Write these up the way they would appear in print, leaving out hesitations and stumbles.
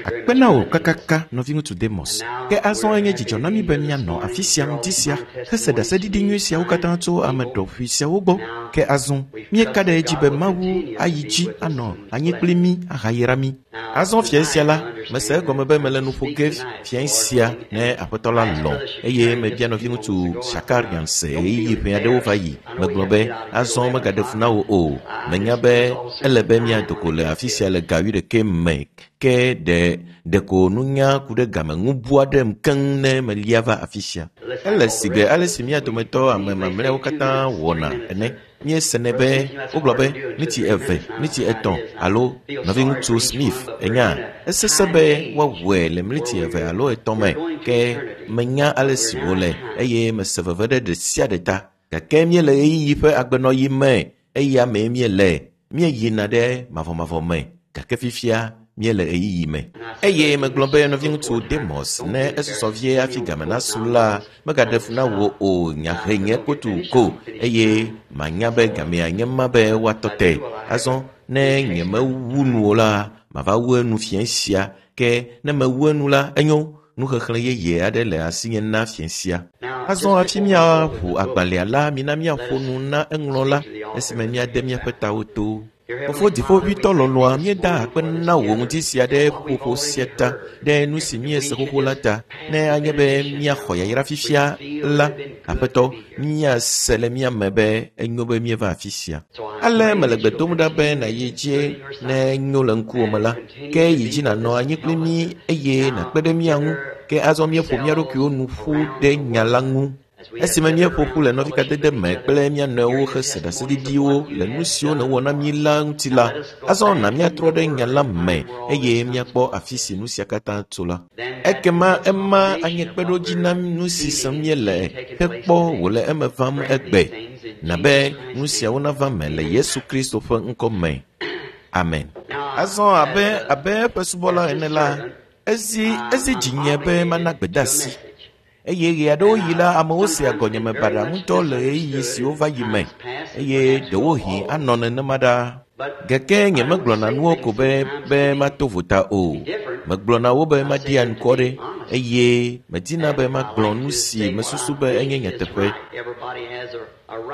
Akpe na wò kakaka, nɔviŋutsu Demos. Ke azɔ enye dzidzɔ na mí be míanɔ afi sia ŋdi sia hese ɖaseɖiɖi nyui siawo katã tso ame ɖɔʋui siawo gbɔ. Ke azɔ míeka ɖe edzi be Mawu ayi dzi anɔ anyi kpli mí ahayra mí. Azɔ fiẽ sia la, mese egɔme be mele nu ƒo ge fiẽ sia ne Aƒetɔ la lɔ̃ eye mebia nɔviŋutsu Shakarian se ɣeyiɣi ʋɛ aɖewo va yi. Megblɔ be, azɔ megaɖe fu na wò o. Menya be ele be míado go le afi sia le ga wuiɖekɛ me ke ɖe ɖeko nunya ku ɖe game ŋu bu aɖem keŋ ne melia va afi sia. Ele sigbe ale si mía dometɔ ame mamlɛawo katã wɔna ene. Míesenɛ be wogblɔ be miniti eve, miniti etɔ̃ alo nɔviŋutsu Smith enya esesẽ be woawɔe le miniti eve alo etɔ̃ me ke menya ale si wòle eye mese veve ɖe ɖe sia ɖe ta. Gake míele ɣeyiɣi ƒe agbenɔɣi me eya mee míele. Míeyina ɖe mavɔmavɔ me gake fifia míele ɣeyiɣi me. Eye megblɔ be nɔviŋutsu Demos ne esusɔ vie hafi game nasu la, megaɖe fu na wò o nyahe nye kotu ko eye manya be gamea nye ma be woatɔ te. Azɔ ne nyemewu nu o la, mava wu enu fiẽ sia ke ne mewu enu la, enyo nuxexlẽ yeye aɖe le asinye na fiẽ sia. Azɔ hafi míaƒo agbalẽa la, mina míaƒo nu na eŋlɔla esime míade míaƒe tawo to. Fofo dziƒoʋĩtɔ lɔlɔ̃a, míeda akpe na wò ŋdi sia ɖe ƒuƒoƒo sia ta, ɖe nu si míese xoxo la ta. Ne anye be míaxɔ yayra fifia la, Aƒetɔ, míase le mía me be enyo be míeva afi sia. Ale mele gbe dom ɖa be nàyi dzi ne enyo le ŋkuwò me la, ke yi dzi nànɔ anyi kpli mí eye nàkpe ɖe mía ŋu. Ke azɔ míeƒo mía ɖokuiwo nu ƒu ɖe nya la ŋu. Esime míeƒo ƒu le nɔvikadede me kple mía nɔewo hese ɖaseɖiɖiwo le nu siwo nèwɔ na mí la ŋuti la, azɔ na míatrɔ ɖe nya la me eye míakpɔ afi si nu sia katã tso la. Ekema ema anye kpeɖodzi na nu si sem míele hekpɔ wòle eme vam egbe. Na be nu siawo nava me le Yesu Kristo ƒe ŋkɔ me. Amen. Azɔ abe abe eƒe subɔla ene la, ezi ezi dzinye be mana gbedeasi. Eye ɣe aɖewo yi la, amewo sea gɔnyeme baɖa ŋutɔ le ɣeyiɣi siwo va yi me eye ɖewohĩ anɔ nenema ɖaa. Gake nyemegblɔna nuwo ko be be mato vota o. Megblɔna wo be maɖi anukware eye medina be magblɔ nu si mesusu be enye nyateƒe.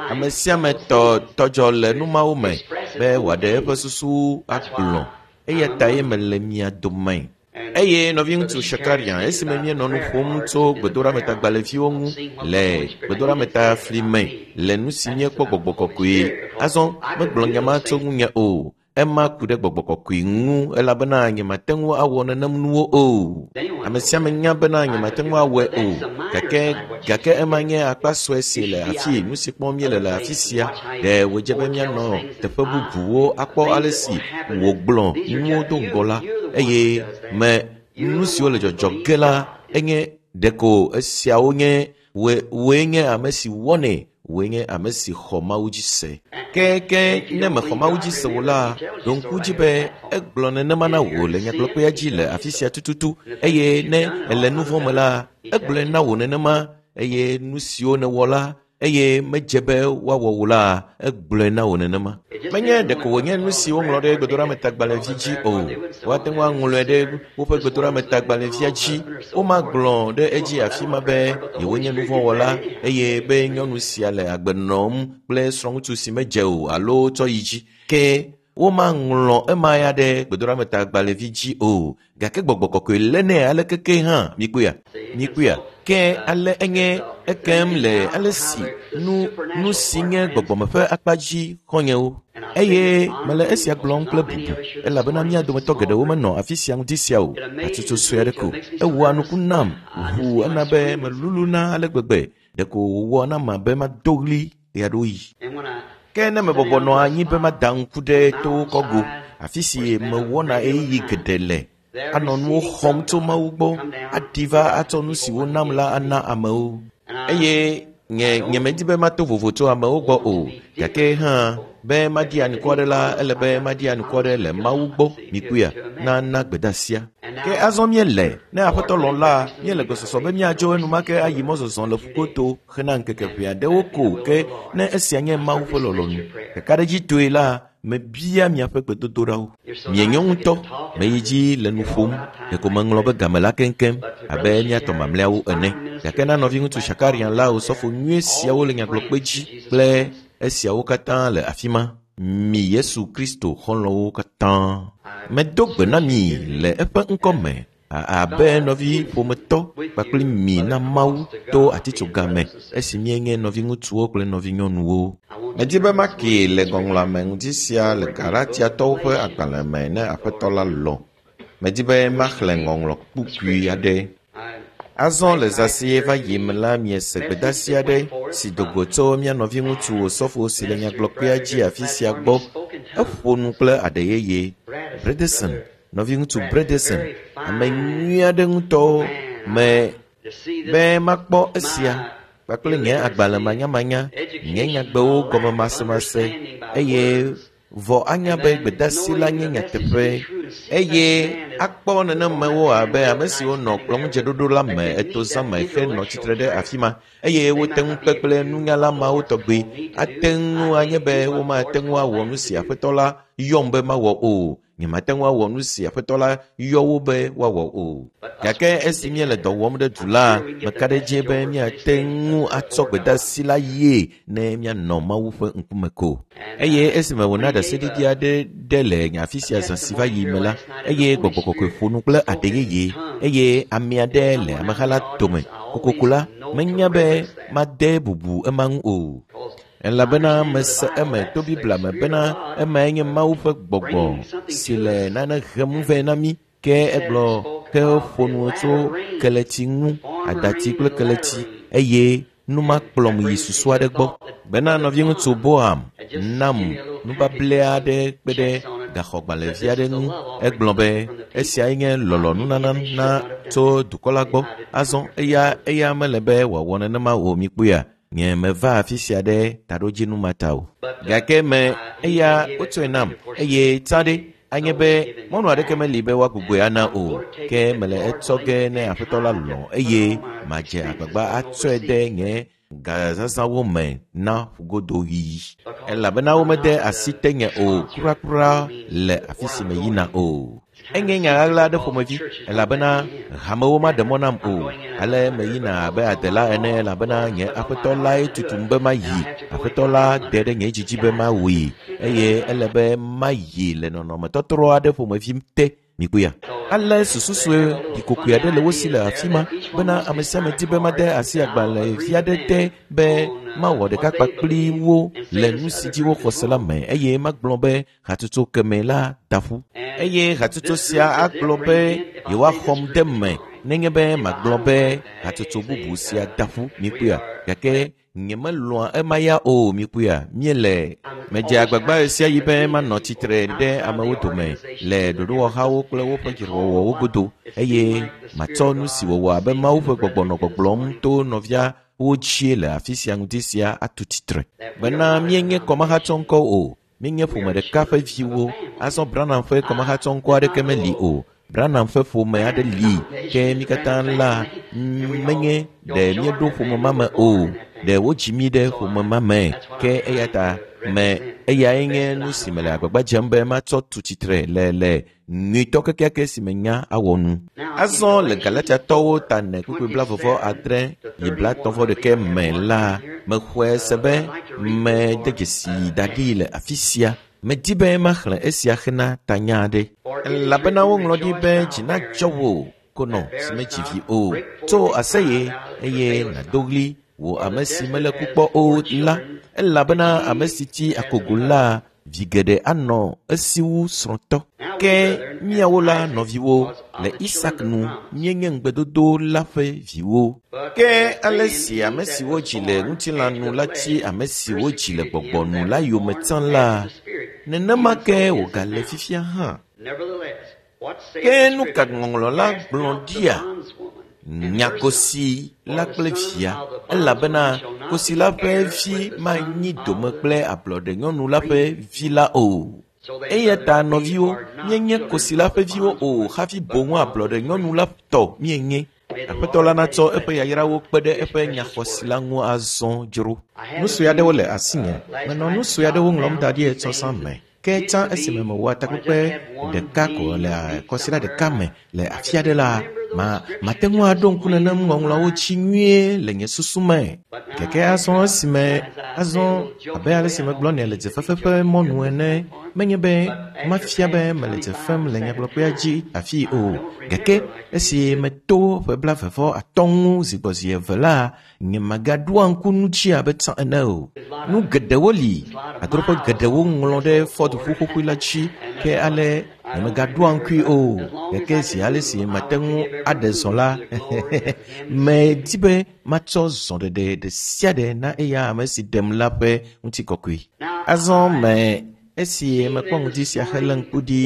Ame sia ame tɔ tɔdzɔ le nu mawo me be wòaɖe eƒe susu agblɔ eya ta ye mele mia dome. Eye nɔviŋutsu Shakarian esime míenɔ nu ƒom tso gbedoɖametagbalẽviwo ŋu le gbedoɖametafli me le nu si míekpɔ gbɔgbɔ kɔkɔe. Azɔ megblɔ nya ma tso ŋunye o. Ema ku ɖe gbɔgbɔ kɔkɔe ŋu elabena nyemate ŋu awɔ nenem nuwo o. Ame sia ame nya bena nyemate ŋu awɔe o. Gake gake ema nye akpa sue si le afi nu si kpɔm míele le afi sia. Ɖe wòdze be míanɔ teƒe bubuwo akpɔ ale si wògblɔ nuwo do ŋgɔ la eye me nu siwo le dzɔdzɔ ge la enye ɖeko esiawo nye wòe wòe nye ame si wɔnɛ wòe nye ame si xɔ Mawu dzi se. Ke ke ne mexɔ Mawu dzi se o la, ɖo ŋku dzi be egblɔ nenema na wò le nyagblɔkpea dzi le afi sia tututu eye ne èle nu vɔ̃ me la, egblɔe na wò nenema eye nu siwo nèwɔ la eye medze be woawɔ wò la, egblɔe na wò nenema. Menye ɖeko wònye nu si woŋlɔ ɖe gbedoɖametagbalẽvi dzi o. Woate ŋu aŋlɔe ɖe woƒe gbedoɖametagbalẽvia dzi. Womagblɔ ɖe edzi afi ma be yewonye nu vɔ̃ wɔla eye be nyɔnu sia le agbe nɔm kple srɔ̃ŋutsu si medze o alo tsɔ yi dzi. Ke womaŋlɔ ema ya ɖe gbedoɖametagbalẽvi dzi o. Gake gbɔgbɔ kɔkɔe lénɛ ale keke hã mikpɔea mikpɔea ke ale enye ekem le ale si nu nu si nye gbɔgbɔme ƒe akpa dzi xɔnyewo eye mele esia gblɔm kple bubu elabena mía dometɔ geɖewo menɔ afi sia ŋdi sia o hatsotso sue aɖe ko ewɔa nuku nam ʋuu ena be meluluna ale gbegbe ɖeko wòwɔ nam abe mado ɣli ɣeaɖewoɣi. Ke ne mebɔbɔ nɔ anyi be mada ŋku ɖe towo kɔgo, afi si mewɔna ɣeyiɣi geɖe le, anɔ nuwo xɔm tso Mawu gbɔ, aɖi va atsɔ nu si wonam la ana amewo. Eye nye nyemedi be mato vovo tso amewo gbɔ o, gake hã be maɖi anukware la, ele be maɖi anukware le Mawu gbɔ, mikpɔea, na na gbedeasia. Ke azɔ míele, ne Aƒetɔ lɔ̃ la, míele gbesɔsɔ be míadzo enumake ayi mɔzɔzɔ le ƒugoto hena ŋkeke ʋɛ aɖewo ko ke ne esia nye Mawu ƒe lɔlɔ̃nu. Kakaɖedzitɔe la, Mebia miaƒe gbedodoɖawo. Mienyo ŋutɔ. Meyi dzi le nu ƒom. Ɖeko meŋlɔ be game la keŋkeŋ abe mía tɔ mamlɛawo ene. Gake na nɔviŋutsu Shakarian la osɔfo nyui siawo le nyagblɔkpe dzi kple esiawo katã le afi ma. Mi Yesu Kristo xɔlɔ̃wo katã. Medo gbe na mi le eƒe ŋkɔ me abe nɔvi ƒometɔ kpakple mi na Mawu to atitsoga me esi míenye nɔviŋutsuwo kple nɔvinyɔnuwo. Medi be makee le ŋɔŋlɔa me ŋdi sia le Galatiatɔwo ƒe agbalẽ me ne Aƒetɔ la lɔ̃. Medi be maxlẽ ŋɔŋlɔ kpukpui aɖe. Azɔ le zã si va yi me la, miese gbedeasi aɖe si do go tso mía nɔviŋutsu Osɔfo si le nyagblɔkpea dzi afi sia gbɔ. Eƒo nu kple aɖe yeye. Bredesen, nɔviŋutsu Bredesen, ame nyui aɖe ŋutɔ me be makpɔ esia kpakple nye agbalẽ manyamanya, nye nyagbewo gɔmemasemase eye vɔ anya be gbedeasi la nye nyateƒe eye akpɔ nenemewo abe ame siwo nɔ kplɔ̃ŋudzeɖoɖo la me eto zã me henɔ tsitre ɖe afi ma eye wote ŋu kpe kple nunyala mawo tɔgbe. Ate ŋu anye be womate ŋu awɔ nu si Aƒetɔ la yɔm be mawɔ o. Nyemate ŋu awɔ nu si Aƒetɔ la yɔ wo be woawɔ o. Gake esi míele dɔ wɔm ɖe du la, meka ɖe edzi be míate ŋu atsɔ gbedeasi la yie ne míanɔ Mawu ƒe ŋkume ko. Eye esime wòna ɖaseɖiɖi aɖe ɖe le nye afi sia zã si va yi me la, eye Gbɔgbɔ Kɔkɔe ƒo nu kple aɖe yeye eye ame aɖe le ameha la dome kokoko la, menya be made bubu ema ŋu o. Elabena mese eme to Biblia me bena emae nye Mawu ƒe gbɔgbɔ si le nane hem vɛ na mí. Ke egblɔ ke ƒo nu tso keletsi ŋu, adatsi kple keletsi eye nu ma kplɔm yi susu aɖe gbɔ. Bena nɔviŋutsu Boam nam nubable aɖe kpe ɖe gaxɔgbalẽvi aɖe ŋu. Egblɔ be esiae nye lɔlɔ̃nunana na tso dukɔ la gbɔ. Azɔ eya eya mele be wòawɔ nenema o mikpɔea? Nye meva afi sia ɖe taɖodzinu ma ta o. Gake me eya wotsɔe nam eye tsã ɖe anye be mɔnu aɖeke meli be woagbugbɔe ana o. Ke mele etsɔ ge ne Aƒetɔ la lɔ̃ eye madze agbagba atsɔe de nye gazazãwo me na ƒugodoɣi. Elabena womede asi tenye o kurakura le afi si meyina o. Enye nya ɣaɣla aɖe ƒomevi elabena hamewo maɖe mɔ nam o. Ale meyina abe adela ene elabena nye Aƒetɔ lae tutum be mayi. Aƒetɔ la de ɖe nye dzidzi be mawui eye ele be mayi le nɔnɔmetɔtrɔ aɖe ƒomevi te. Mikpɔea? Ale susu sue ɖikokoe aɖe le wo si le afi ma bena ame sia ame di be made asi agbalẽvi aɖe te be mawɔ ɖeka kpakpli wo le nu si dzi woxɔ se la me eye magblɔ be hatsotso keme la da ƒu. Eye hatsotso sia agblɔ be yewoaxɔm ɖe me nenye be magblɔ be hatsotso bubu sia da ƒu. Mikpɔea? Gake nyemelɔ̃a ema ya o. Mikpɔea? Míele medze agbagba ɣe sia ɣi be manɔ tsitre ɖe amewo dome le ɖoɖowɔhawo kple woƒe dzrewɔwɔwo godo eye matsɔ nu si wɔwɔ abe Mawu ƒe gbɔgbɔ nɔ gbɔgblɔm to nɔvia wo dzie le afi sia ŋdi sia atu tsitre. Bena míenye kɔmahatsɔŋkɔ o. Míenye ƒome ɖeka ƒe viwo. Azɔ Branham ƒe kɔmahatsɔŋkɔ aɖeke meli o. Branham ƒe ƒome aɖe li ke mí katã la menye ɖe míeɖo ƒome ma me o. Ɖe wodzi mí ɖe ƒome ma me ke eya ta me eyae nye nu si mele agbagba dzem be matsɔ tu tsitre le le nyuitɔ kekeake si menya awɔ nu. Azɔ le Galatiatɔwo ta ne kpukpui 26 yi 31 me la, mexɔe se be mede dzesi da ɖi le afi sia. Medi be maxlẽ esia hena tanya aɖe. Elabena woŋlɔ ɖi be dzi nadzɔ wò konɔ si medzi vi o. Tso aseye eye nàdo ɣli wò ame si mele ku kpɔ o la. Elabena ame si tsi akogo la, vi geɖe anɔ esi wu srɔ̃tɔ. Ke míawo la nɔviwo le Isak nu míenye ŋugbedodo la ƒe viwo. Ke ale si ame si wodzi le ŋutilã nu la tsi ame si wodzi le gbɔgbɔ nu la yome tsã la, nenema ke wògale fifia hã. Ke nu ka ŋɔŋlɔ la gblɔ ɖia? Nya kosi la kple via, elabena kosi la ƒe vi manyi dome kple ablɔɖenyɔnu la ƒe vi la o. Eya ta nɔviwo, míenye kosi la ƒe viwo o hafi boŋ ablɔɖenyɔnu la tɔ míenye. Aƒetɔ la natsɔ eƒe yayrawo kpe ɖe eƒe nyaxɔsi la ŋu azɔ dzro. Nu sue aɖewo le asinye. Menɔ nu sue aɖewo ŋlɔm da ɖi etsɔ zã me. Ke tsã esime mewɔa takpekpe ɖeka ko le kɔsiɖa ɖeka me le afi aɖe la, mate ŋu aɖo ŋku nenem ŋɔŋlɔawo dzi nyuie le nye susu me. Gake azɔ esime azɔ abe ale si megblɔ nɛ le dzefefe ƒe mɔnu ene, menye be mafia be mele dze fem le nyagblɔkpea dzi afii o. Gake esi meto ƒe 53 ŋu zigbɔzi eve la, nye magaɖoa ŋku nu dzi abe tsã ene o. Nu geɖewo li, adroƒe geɖewo ŋlɔ ɖe Ford ʋu xoxoe la dzi, ke ale nye megaɖoa ŋkui o. Gake zi ale si mate ŋu aɖe zɔ la, medi be matsɔ zɔɖeɖe ɖe sia ɖe na eya ame si ɖem la ƒe ŋutikɔkɔe. Azɔ me esi mekpɔ ŋdi sia helé ŋku ɖi,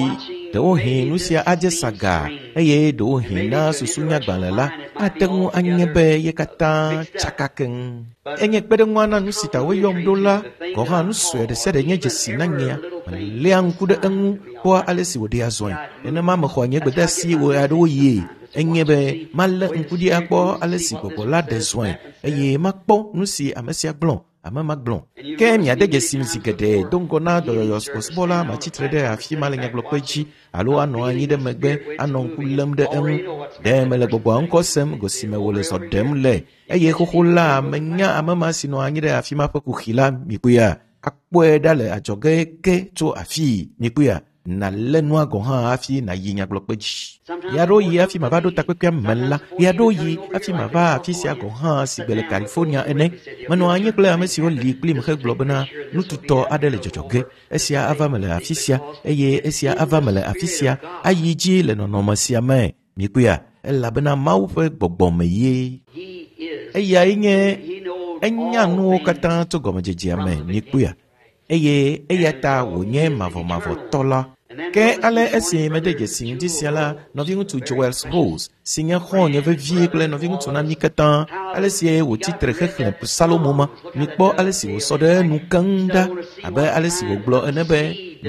ɖewohĩ nu sia adze saga eye ɖewohĩ na susunyagbalẽ la ate ŋu anye be ye katã tsaka keŋ. Enye kpeɖeŋua na nu si ta woyɔm ɖo la, gɔ̃ hã nu sue ɖe sia ɖe nye dzesi na nyea. Meléa ŋku ɖe eŋu kpɔa ale si wòɖea zɔe. Nenema mexɔa nye gbedeasi ɣeaɖewoɣie. Enye be malé ŋku ɖi akpɔ ale si gbɔgbɔ la ɖe zɔe eye makpɔ nu si ame sia gblɔ. Ame ma gblɔ. Ke miade dzesi zi geɖe do ŋgɔ na dɔyɔyɔ subɔsubɔla matsitre ɖe afi ma le nyagblɔkpe dzi alo anɔ anyi ɖe megbe anɔ ŋku lém ɖe eŋu. Ɖe mele gbɔgbɔa ŋkɔ sem go si me wòle zɔ ɖem le eye xoxo la menya ame ma si nɔ anyi ɖe afi ma ƒe kuxi la mikpɔea. Akpɔe ɖa le adzɔge ke tso afii mikpɔea. Nalé nua gɔ̃ hã hafi nàyi nyagblɔkpe dzi. Ɣeaɖewoɣi hafi mava ɖo takpekpea me la, ɣeaɖewoɣi hafi mava afi sia gɔ̃ hã si gbe le California ene. Menɔ anyi kple ame siwo li kplim hegblɔ bena nututɔ aɖe le dzɔdzɔ ge. Esia ava me le afi sia eye esia ava me le afi sia ayi dzi le nɔnɔme sia me. Mikpɔea, elabena Mawu ƒe gbɔgbɔ me ye. Eyae nye enya nuwo katã tso gɔmedzedzea me. Mikpɔea, eye eya ta wònye mavɔmavɔtɔ la. Ke ale esi mede dzesi ŋdi sia la, nɔviŋutsu Joel Rose, si nye xɔ̃nye vevie kple nɔviŋutsu na mí katã, ale si wòtsi tre xexlẽ Psalomo ma, mikpɔ ale si wòsɔ ɖe enu keŋ ɖa, abe ale si wògblɔ ene be,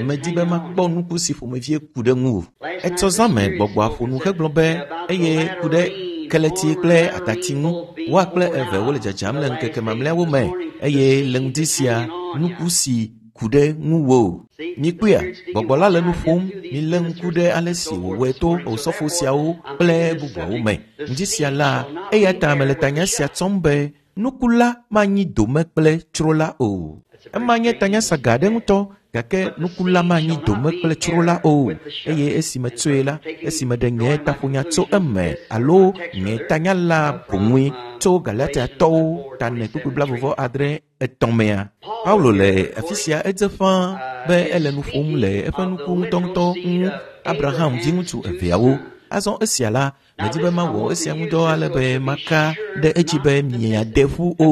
medi be makpɔ nuku si ƒomevie ku ɖe ŋuwò. Etsɔ zã me gbɔgbɔa ƒo nu hegblɔ be, eye ku ɖe keleti kple atati ŋu, woa kple eve wole dzadzam le ŋkeke mamlɛawo me, eye le ŋdi sia nuku si ku ɖe ŋuwò. Mikpɔea, gbɔgbɔ la le nu ƒom, milé ŋku ɖe ale si wòwɔe to osɔfo siawo kple bubuawo me. Ŋdi sia la, eya ta mele tanya sia tsɔm be nuku la manyi dome kple tsro la o. Ema nye tanya saga aɖe ŋutɔ, gake nuku la manyi dome kple tsro la o. Eye esi metsoe la, esi meɖe nye taƒonya tso eme alo nye tanya la boŋue tso Galatiatɔwo tane kpukpui 26 mea. Paulo le afi sia edze ƒãa be ele nu ƒom le eƒe nuku ŋutɔŋutɔ ŋu Abraham viŋutsu eveawo. Azɔ esia la, medi be mawɔ esia ŋudɔ ale be maka ɖe edzi be miade ƒu o.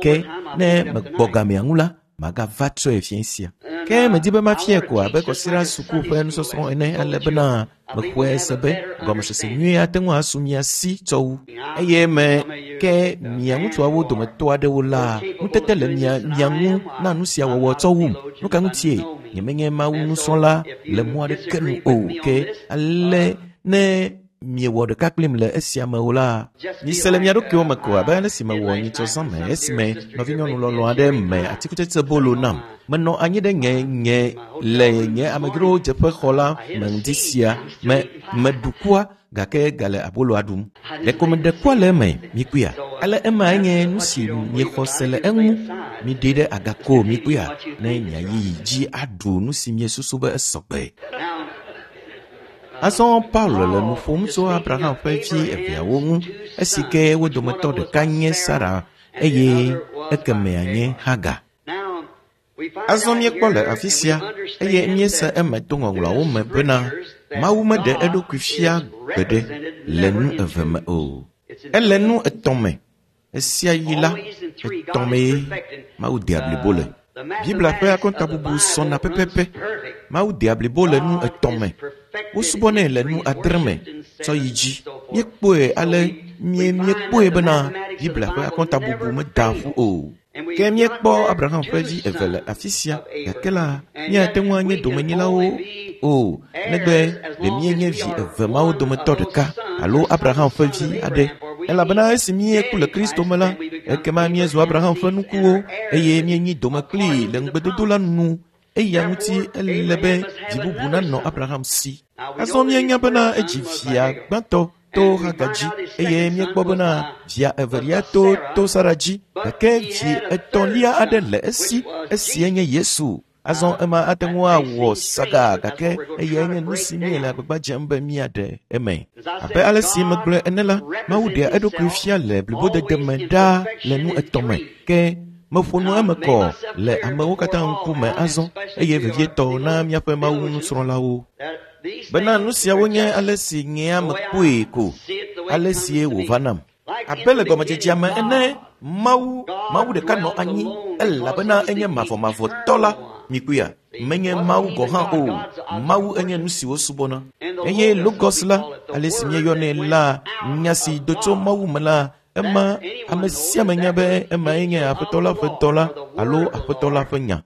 Ke ne megbɔ gamea ŋu la, magava tsɔe fia sia. Ke medi be mafiae ko abe kɔsiɖa suku ƒe nusɔsrɔ̃ ene ale bena mexɔe se be gɔmesese nyui ate ŋu asu mia si tsɔ wu. Eye me ke mia ŋutsuawo dometɔ aɖewo la, ŋutete le mia ŋu na nu sia wɔwɔ tsɔ wum. Nu ka ŋutie? Nyemenye Mawu nusrɔ̃la le mɔ aɖeke nu o. Ke ale ne miewɔ ɖeka kplim le esia me o la, mise le mia ɖokuiwo me ko abe ale si mewɔ nyitsɔ zã me esime nɔvinyɔnu lɔlɔ̃ aɖe me atikutsetse bolo nam. Menɔ anyi ɖe nye le nye amedzrowo dzeƒe xɔ la me ŋdi sia me meɖu kua gake gale aboloa ɖum. Ɖeko meɖe kua le eme, mikpɔea. Ale emae nye nu si miexɔ se le eŋu. Miɖee ɖe aga ko mikpɔea, ne miayi dzi aɖu nu si miesusu be esɔgbe. Azɔ Paulo le nu ƒom tso Abraham ƒe vi eveawo ŋu, esi ke wo dometɔ ɖeka nye Sara eye ekemɛa nye Hagar. Azɔ míekpɔ le afi sia eye míese eme to ŋɔŋlɔawo me bena Mawu meɖe eɖokui fia gbeɖe le nu eve me o. Ele nu etɔ̃ me. Esia yi la, etɔ̃ mee Mawu dea blibo le. Biblia ƒe akɔntabubu sɔna pɛpɛpɛ. Mawu dea blibo le nu etɔ̃ me. Wosubɔnɛ le nu adre me tsɔ yi dzi. Míekpɔe ale míekpɔe bena Biblia ƒe akɔntabubu meda ƒu o. Ke míekpɔ Abraham ƒe vi eve le afi sia, gake la, míate ŋu anye domenyilawo o, negbe ɖe míenye vi eve mawo dometɔ ɖeka alo Abraham ƒe vi aɖe. Elabena esi míeku le Kristo me la, ekema míezu Abraham ƒe nukuwo eye míenyi dome kplii le ŋugbedodo la nu. Eya ŋuti ele be vi bubu nanɔ Abraham si. Azɔ míenya bena edzi via gbãtɔ to Hagar dzi eye míekpɔ bena via evelia to Sara dzi, gake vi etɔ̃lia aɖe le esi, esie nye Yesu. Azɔ ema ate ŋu awɔ saga, gake eyae nye nu si míele agbagba dzem be míaɖe eme. Abe ale si megblɔe ene la, Mawu ɖea eɖokui fia le blibodede me ɖaa le nu etɔ̃ me. Ke meƒo nu eme kɔ le amewo katã ŋkume azɔ, eye vevietɔ na míaƒe Mawu nusrɔ̃lawo. Bena nu siawo nye ale si nyea mekpɔe ko, ale sie wòva nam. Abe le gɔmedzedzea me ene, Mawu, Mawu ɖeka nɔ anyi, elabena enye mavɔmavɔtɔ la. Mikpɔea? Menye Mawu gɔ̃ hã o. Mawu enye nu si wosubɔna. Eye Logos la, ale si míeyɔnɛ la, nya si do tso Mawu me la, ema ame sia ame nya be emae nye Aƒetɔ la ƒe dɔla alo Aƒetɔ la ƒe nya.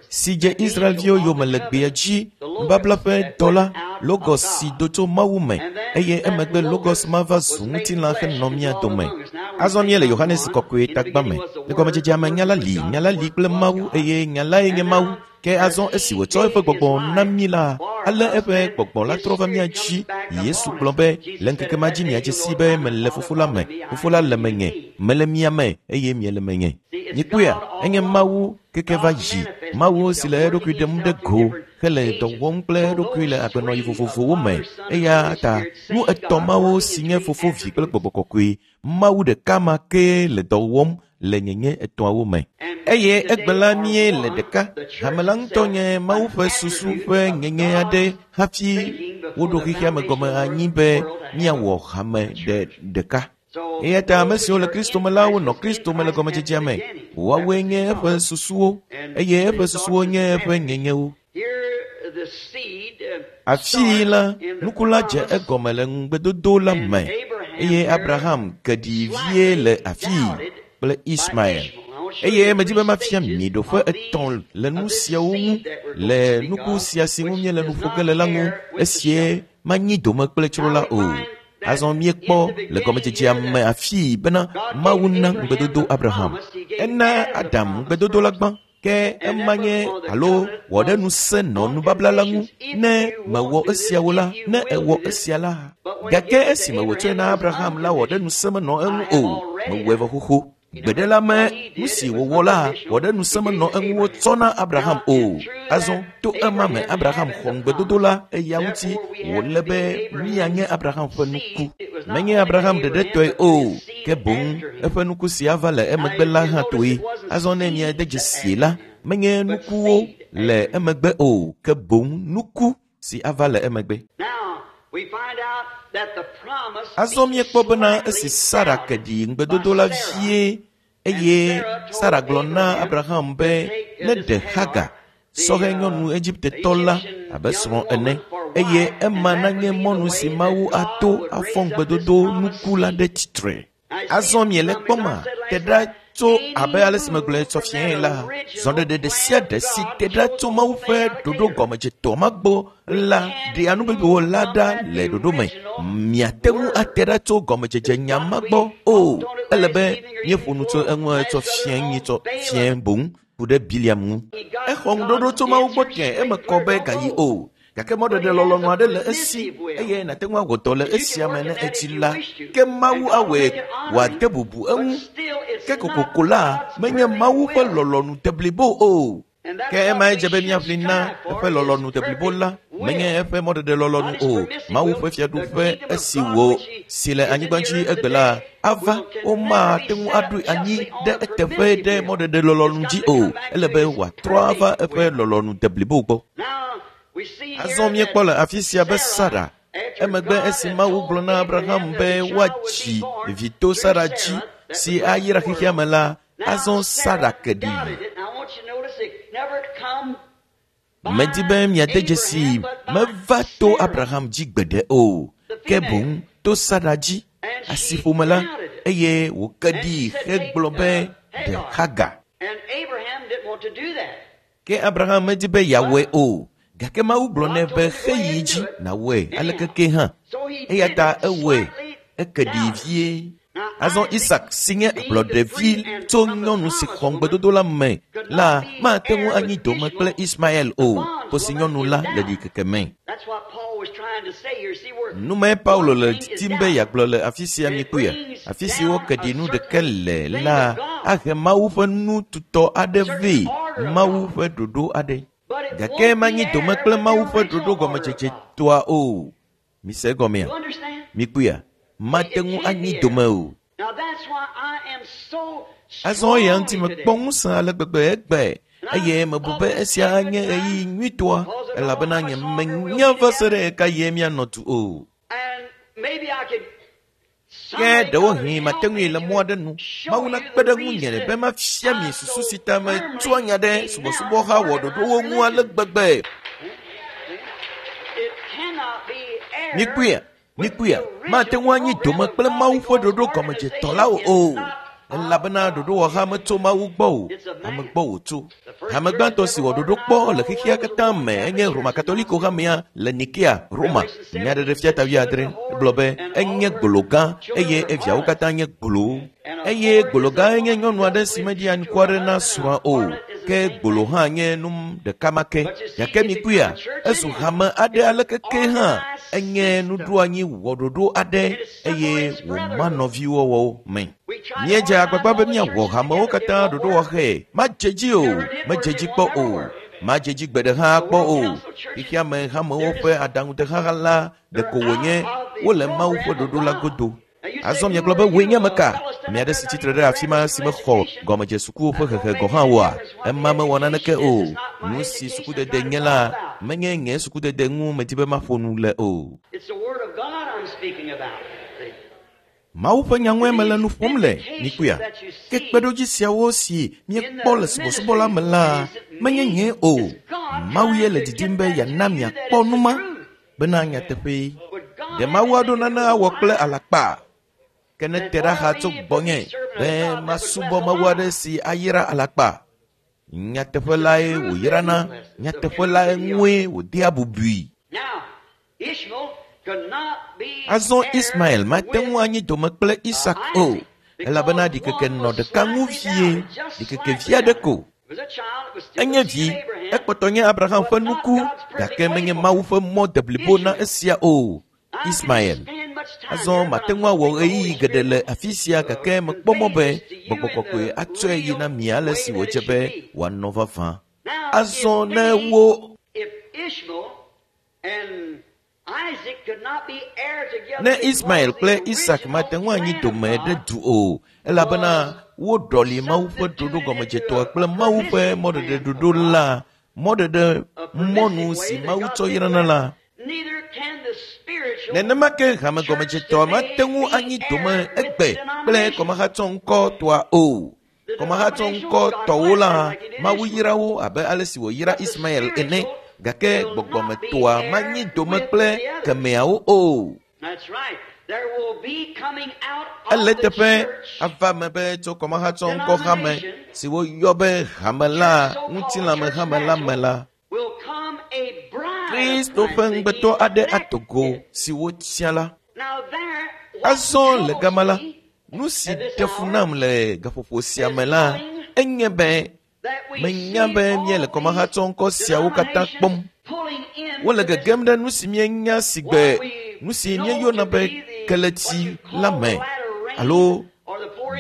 Si dze Israelviwo yome le gbea dzi, nubabla ƒe dɔla, Logos si do tso Mawu me, eye emegbe Logos ma va zu ŋutilã henɔ mía dome. Azɔ míele Yohanes Kɔkɔe tagba me. Le gɔmedzedzea me, Nya la li, Nya la li kple Mawu, eye Nya lae nye Mawu. Ke azɔ esi wòtsɔ eƒe gbɔgbɔ na mí la, ale eƒe gbɔgbɔ la trɔ va mía dzi. Yesu gblɔ be, le ŋkeke ma dzi miadze sii be mele Fofo la me, Fofo la le menye, mele mia me, eye miele menye. Mikpɔea, enye Mawu keke va yi, Mawu si le eɖokui ɖem ɖe go hele dɔ wɔm kple eɖokui le agbenɔɣi vovovowo me. Eya ta nu etɔ̃ mawo si nye Fofo, Vi kple Gbɔgbɔ Kɔkɔe, Mawu ɖeka ma kee le dɔ wɔm le nyenye etɔ̃awo me. Eye egbe la míele ɖeka. Hame la ŋutɔ nye Mawu ƒe susu ƒe nyenye aɖe hafi woɖo xexea me gɔme anyi be míawɔ hame ɖe ɖeka. Eya ta ame siwo le Kristo me la wonɔ Kristo me le gɔmedzedzea me. Woawoe nye eƒe susuwo, eye eƒe susuwo nye eƒe nyenyewo. Afii la, nuku la dze egɔme le ŋugbedodo la me, eye Abraham ke ɖi vie le afii kple Ismael. Eye medi be mafia mi ɖoƒe etɔ̃ le nu siawo ŋu, le nuku sia si ŋu míele nu ƒo ge le la ŋu, esie manyi dome kple tsro la o. Azɔ míekpɔ le gɔmedzedzea me afii bena Mawu na ŋugbedodo Abraham. Ena Adam ŋugbedodo la gbã, ke ema nye alo wɔ ɖe ŋusẽ nɔ nubabla la ŋu ne mewɔ esiawo la, ne ewɔ esia la. Gake esime wòtsɔe na Abraham la wɔ ɖe ŋusẽ menɔ eŋu o, mewɔe vɔ xoxo. Gbeɖe la me nu si wòwɔ la wɔ ɖe ŋusẽ menɔ eŋu wotsɔ na Abraham o. Azɔ to ema me Abraham xɔ ŋugbedodo la, eya ŋuti wòle be míanye Abraham ƒe nuku. Menye Abraham ɖeɖe tɔe o, ke boŋ eƒe nuku si ava le emegbe la hã tɔe. Azɔ ne miade dzesi la, menye nukuwo le emegbe o, ke boŋ nuku si ava le emegbe. Azɔ míekpɔ bena esi Sara ke ɖi ŋugbedodo la vie, eye Sara gblɔ na Abraham be neɖe Hagar, sɔhɛ nyɔnu Egiptetɔ la abe srɔ̃ ene, eye ema nanye mɔnu si Mawu ato afɔ ŋugbedodo nuku la ɖe tsitre. Azɔ miele kpɔma, te ɖa tso abe ale si megblɔe tsɔ fiae la, zɔɖeɖe ɖe sia ɖe si te ɖa tso Mawu ƒe ɖoɖo gɔmedzetɔ ma gbɔ la ɖea nu bubuwo la ɖa le ɖoɖo me. Miate ŋu ate ɖa tso gɔmedzedze nya ma gbɔ o. Ele be míeƒo nu tso eŋu tsɔ fiae nyitsɔ fiae boŋ ku ɖe Biliam ŋu. Exɔ ŋuɖoɖo tso Mawu gbɔ tẽ eme kɔ be gayi o. Gake mɔɖeɖe lɔlɔ̃nu aɖe le esi eye nàte ŋu awɔ dɔ le esia me ne edzi la, ke Mawu awɔe wòade bubu eŋu. Ke kokoko la, menye Mawu ƒe lɔlɔ̃nu deblibo o. Ke emae dze be míaʋli na eƒe lɔlɔ̃nu deblibo la, menye eƒe mɔɖeɖe lɔlɔ̃nu o. Mawu ƒe fiaɖuƒe esi wò si le anyigba dzi egbe la ava, womate ŋu aɖoe anyi ɖe eteƒe ɖe mɔɖeɖe lɔlɔ̃nu dzi o. Ele be wòatrɔ ava eƒe lɔlɔ̃nu deblibo gbɔ. Azɔ míekpɔ le afi sia be Sara, emegbe esi Mawu gblɔ na Abraham be woadzi vi to Sara dzi si ayra xexea me la, azɔ Sara ke ɖi. Medi be miade dzesii, meva to Abraham dzi gbeɖe o, ke boŋ to Sara dzi, asiƒome la, eye wòke ɖi hegblɔ be ɖe Hagar. Ke Abraham medi be yeawɔe o, gake Mawu gblɔ nɛ be xeyi dzi nàwɔe aleke ke hã. Eya ta ewɔe, eke ɖi vie. Azɔ Isak si nye ablɔɖevi tso nyɔnu si xɔ ŋugbedodo la me la mate ŋu anyi dome kple Ismael o, kosi nyɔnu la le ɖikeke me. Numae Paulo le didim be yeagblɔ le afi sia mikpɔea? Afi si woke ɖi nu ɖeke le la ahe Mawu ƒe nu tutɔ aɖe vɛ, Mawu ƒe ɖoɖo aɖe. Gake manyi dome kple Mawu ƒe ɖoɖo gɔmedzedze tɔa o. Mise egɔmea? Mikpɔea? Mate ŋu anyi dome o. Azɔ eya ŋuti mekpɔ ŋusẽ ale gbegbe egbe eye mebu be esia anye ɣeyiɣi nyuitɔa elabena nye menya va se ɖe ɣeka ɣie míanɔ du o. Ke ɖewohĩ mate ŋui le mɔ aɖe nu. Mawu nakpe ɖe ŋunye be mafia mi susu si ta metsɔa nya ɖe subɔsubɔha wɔ ɖoɖowo ŋu ale gbegbe. Mikpɔea? Mikpɔea? Mate ŋu anyi dome kple Mawu ƒe ɖoɖo gɔmedzetɔ la o. Elabena ɖoɖowɔha metso Mawu gbɔ o, ame gbɔ wòtso. Hame gbãtɔ si wɔ ɖoɖo kpɔ le xexea katã me enye Roma Katoliko hamea le Nikea, Roma. Nyaɖeɖefia ta wuiadre gblɔ be enye gbolo gã eye eviawo katã nye gbolowo. Eye gbolo gã nye nyɔnu aɖe si meɖi anukware na srɔ̃a o, ke gbolo hã nye nu ɖeka ma ke. Gake mikpɔea, ezu hame aɖe aleke ke hã enye nuɖoanyi wɔɖoɖo aɖe eye wòma nɔviwɔwɔwo me. Míedze agbagba be míawɔ hamewo katã ɖoɖowɔxɛ. Madze dzi o, medze dzi kpɔ o, madze dzi gbe ɖe hã kpɔ o. Xexea me hamewo ƒe aɖaŋudeha la ɖeko wònye wole Mawu ƒe ɖoɖo la godo. Azɔ miegblɔ be wòe nye ame ka? Ame aɖe si tsitre ɖe afi ma si mexɔ gɔmedzesukuwo ƒe hehe gɔ̃ hã oa? Ema mewɔ naneke o. Nu si sukudede nye la, menye nye sukudede ŋu medi be maƒo nu le o. Mawu ƒe nya ŋue mele nu ƒom le, mikpɔea? Ke kpeɖodzi siawo si míekpɔ le subɔsubɔ la me la, menye nye o. Mawu ye le didim be yeana miakpɔ nu ma bena nyateƒee. Ɖe Mawu aɖo nane awɔ kple alakpa? Ke ne te ɖa xa tso gbɔnye be masubɔ Mawu aɖe si ayra alakpa. Nyateƒe lae wòyrana, nyateƒe lae ŋue wòdea bubui. Azɔ Ismael mate ŋu anyi dome kple Isak o, elabena ɖikeke nɔ ɖeka ŋu vie, ɖikeke vi aɖe ko. Enye vi, ekpɔtɔ nye Abraham ƒe nuku, gake menye Mawu ƒe mɔ deblibo na esia o. Ismael. Azɔ mate ŋu awɔ ɣeyiɣi geɖe le afi sia gake mekpɔ mɔ be gbɔgbɔ kɔkɔe atsɔe yi na mi ale si wòdze be wòanɔ vavã. Azɔ ne wo ne Ismael kple Isak mate ŋu anyi dome ɖe du o, elabena woɖɔli Mawu ƒe ɖoɖo gɔmedzetɔa kple Mawu ƒe mɔɖeɖe ɖoɖo la, mɔɖeɖe mɔnu si Mawu tsɔ yrana la. Nenema ke hame gɔmedzetɔa mate ŋu anyi dome egbe kple kɔmahatsɔ ŋkɔtɔa o. Kɔmahatsɔ ŋkɔtɔwo la, Mawu yra wo abe ale si wòyra Ismael ene, gake gbɔgbɔmetɔa manyi dome kple kemeawo o. Ele teƒe ava me be tso kɔmahatsɔ ŋkɔ hame si woyɔ be hame la, ŋutilãme hame la me la, Kristo ƒe ŋugbetɔ aɖe ato go si wotia la. Azɔ le gama la, nu si ɖe fu nam le gaƒoƒo sia me la, enye be menya be míele kɔmahatsɔ ŋkɔ siawo katã kpɔm. Wole gegem ɖe nu si míenya si gbe nu si míeyɔna be keletsi la me alo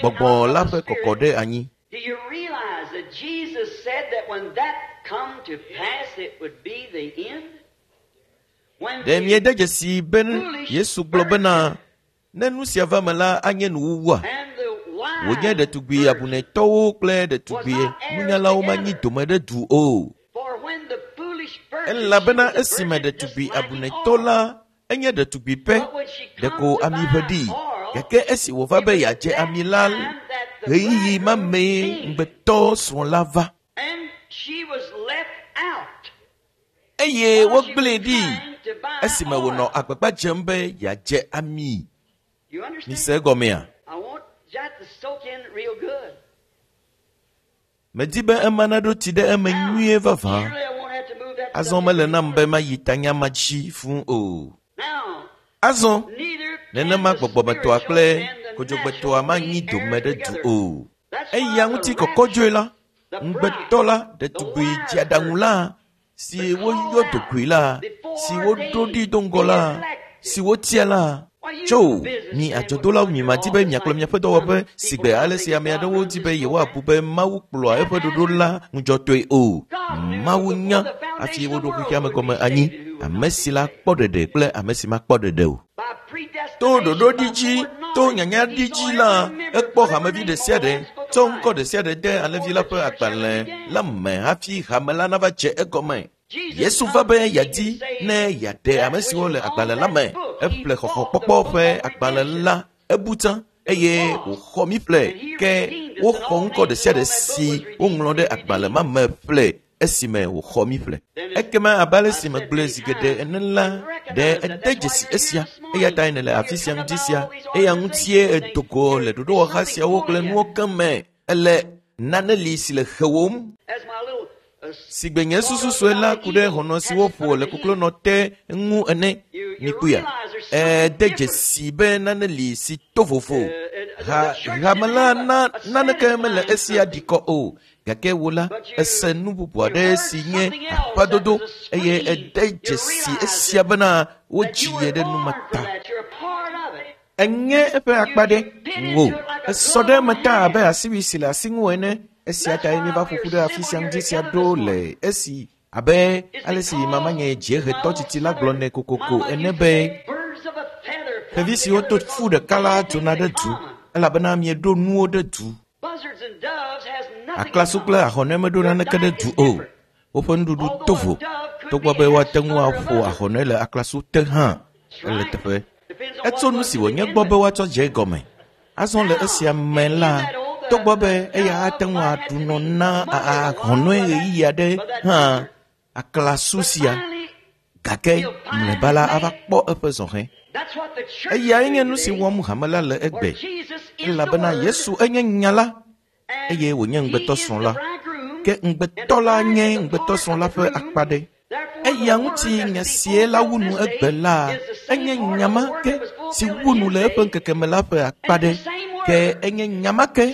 gbɔgbɔ la ƒe kɔkɔ ɖe anyi. Do you realize that Jesus said that when that come to pass, it would be the end? When Ɖe the míede dzesi be Yesu gblɔ bena ne nu sia va me la anye nuwuwua? and the wise Wònye ɖetugbi abunɛtɔwo kple ɖetugbi nunyalawo manyi dome ɖe du o. For when the foolish virgin, Elabena she was a esime virgin just ɖetugbi lacking abunɛtɔ oil. la enye ɖetugbi pɛ, But when she come ɖeko to ami buy ʋe ɖi. oil, Gake esi wòva it be was at yeadze that ami la, time that the ɣeyiɣi ma bridegroom mee came, ŋugbetɔ srɔ̃ la va. and she was left out. Eye While she was wogblẽe ɖi trying to buy esime wònɔ oil. agbagba dzem be yeadze ami. You understand? Mise egɔmea? I want that to soak in real good. Medi be ema naɖo tsi ɖe eme nyuie vavã. Surely I won't have to move that Azɔ subject mele any nam be further. mayi tanya ma dzi fũu o. Now, Azɔ neither can nenema the gbɔgbɔmetɔa spiritual kple and the Kodzogbetɔa manyi dome ɖe du o. Eya ŋuti kɔkɔdzoe la, ŋugbetɔ la, ɖetugbui dziaɖaŋu la, si woyɔ dogoe la, si woɖo ɖi do ŋgɔ la, si wotia la. Tso, mi adzɔdolawo mi madi be miakplɔ miaƒe dɔwɔƒe si gbe ale si ame aɖewo di be yewoabu be Mawu kplɔa eƒe ɖoɖo la ŋudzɔtɔe o. Mawu nya hafi woɖo xexea me gɔme anyi, ame si la kpɔ ɖeɖe kple ame si makpɔ ɖeɖe o. To ɖoɖo ɖi dzi, to nyanya ɖi dzi la, ekpɔ hamevi ɖe sia ɖe, tsɔ ŋkɔ ɖe sia ɖe de alẽvi la ƒe agbalẽ la me hafi hame la nava dze egɔme. Yesu va be yeadi ne yeaɖe ame siwo le agbalẽ la me. Eƒle xɔxɔkpɔkpɔ ƒe agbalẽ la, ebu tsã eye wòxɔ mi ƒle. Ke woxɔ ŋkɔ ɖe sia ɖe si woŋlɔ ɖe agbalẽ ma me ƒle esime wòxɔ mi ƒle. Ekema abe ale si megblɔe zi geɖe ene la, ɖe ede dzesi esia, eya tae nèle afi sia ŋuti sia, eya ŋutie edo go le ɖoɖowɔha siawo kple nuwo keŋ me. Ele nane li si le hewòm. Si gbe nye susu sue la ku ɖe hɔnɔ si woƒo le koklonɔ te ŋu ene. Mikpɔea? Ede dzesi be nane li si to vovo. Ha hame la na naneke mele esia ɖikɔ o. Gake wò la, ese nu bubu aɖe si nye aƒadodo eye ede dzesi esia bena wodzi ye ɖe nu ma ta. Enye eƒe akpa ɖe wò. Esɔ ɖe eme ta abe asiwui si le asi ŋu ene. Esia tae míeva ƒo ƒu ɖe afi sia ŋdi sia ɖo le esi abe ale si mamanye dziehetɔ tsitsi la gblɔnɛ kokoko ene be xevi siwo to fu ɖeka la dzona ɖe du elabena mieɖo nuwo ɖe du. Aklasu kple ahɔnɛ meɖo naneke ɖe du o. Woƒe nuɖuɖu to vo togbɔ be woate ŋu aƒo ahɔnɛ le aklasu te hã ele teƒe. Etso nu si wònye gbɔ be woatsɔ dze egɔme. Azɔ le esia me la, togbɔ be eya ate ŋu aɖu nɔ na ahɔnɔe ɣeyiɣi aɖe hã aklasu sia, gake mlɔeba la ava kpɔ eƒe zɔhɛ. Eyae nye nu si wɔm hame la le egbe, elabena Yesu enye nya la eye wònye ŋugbetɔsrɔ̃ la. Ke ŋugbetɔ la nye ŋugbetɔsrɔ̃ la ƒe akpa ɖe. Eya ŋuti nya sie la wu nu egbe la, enye nya ma ke si wu nu le eƒe ŋkeke me la ƒe akpa ɖe. Ke enye nya ma ke,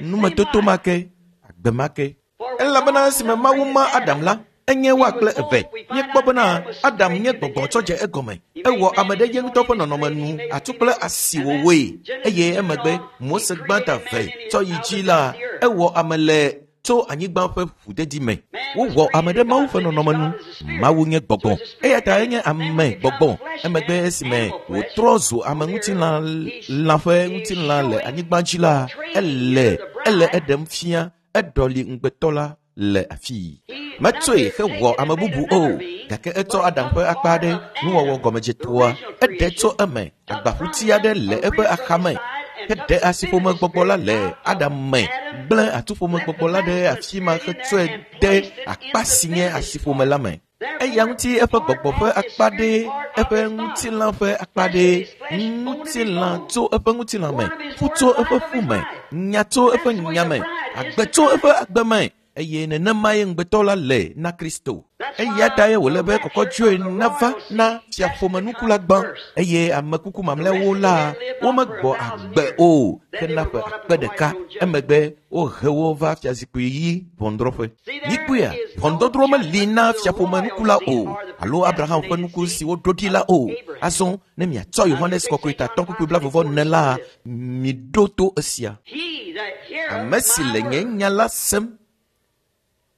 numetoto ma ke, agbe ma ke. Elabena esime Mawu ma Adam la, enye woa kple eve. Míekpɔ bena Adam nye gbɔgbɔ tsɔ dze egɔme. Ewɔ ame ɖe ye ŋutɔ ƒe nɔnɔme nu atu kple asi wòwɔe. Eye emegbe Mose gbãtɔ eve tsɔ yi dzi la, ewɔ ame le tso anyigba ƒe ʋudedi me. Wowɔ ame ɖe Mawu ƒe nɔnɔme nu. Mawu nye gbɔgbɔ. Eya ta enye ame gbɔgbɔ. Emegbe esime wòtrɔ zu ame ŋutilã lã ƒe ŋutilã le anyigba dzi la, ele eɖem fia eɖɔli ŋugbetɔ la le afii. Metsɔe hewɔ ame bubu o, gake etsɔ Adam ƒe akpa aɖe nuwɔwɔ gɔmedzetoa, eɖe tso eme agbaƒuti aɖe le eƒe axame. Heɖe asiƒomegbɔgbɔ la le Adam me, gblẽ atuƒomegbɔgbɔ la ɖe afi ma hetsɔe de akpa si nye asiƒome la me. Eya ŋuti eƒe gbɔgbɔ ƒe akpa ɖe, eƒe ŋutilã ƒe akpa ɖe, ŋutilã tso eƒe ŋutilã me, ƒu tso eƒe ƒu me, nya tso eƒe nya me, agbe tso eƒe agbe me. Eye nenemae ŋugbetɔ la le na Kristo. Eya tae wòle be kɔkɔdzoe nava na fiaƒomenuku la gbã eye amekuku mamlɛawo la womegbɔ agbe o hena ƒe akpe ɖeka. Emegbe wohe wo va fiazikpui ɣi ʋɔnudrɔ̃ƒe. Mikpɔea, ʋɔnudɔdrɔ̃ meli na fiaƒomenuku la o alo Abraham ƒe nuku si woɖo ɖi la o. Azɔ ne miatsɔ Yohanes kɔkɔe tatɔ kpukpui blaeve-vɔ-ene la, miɖo to esia. Ame si le nye nya la sem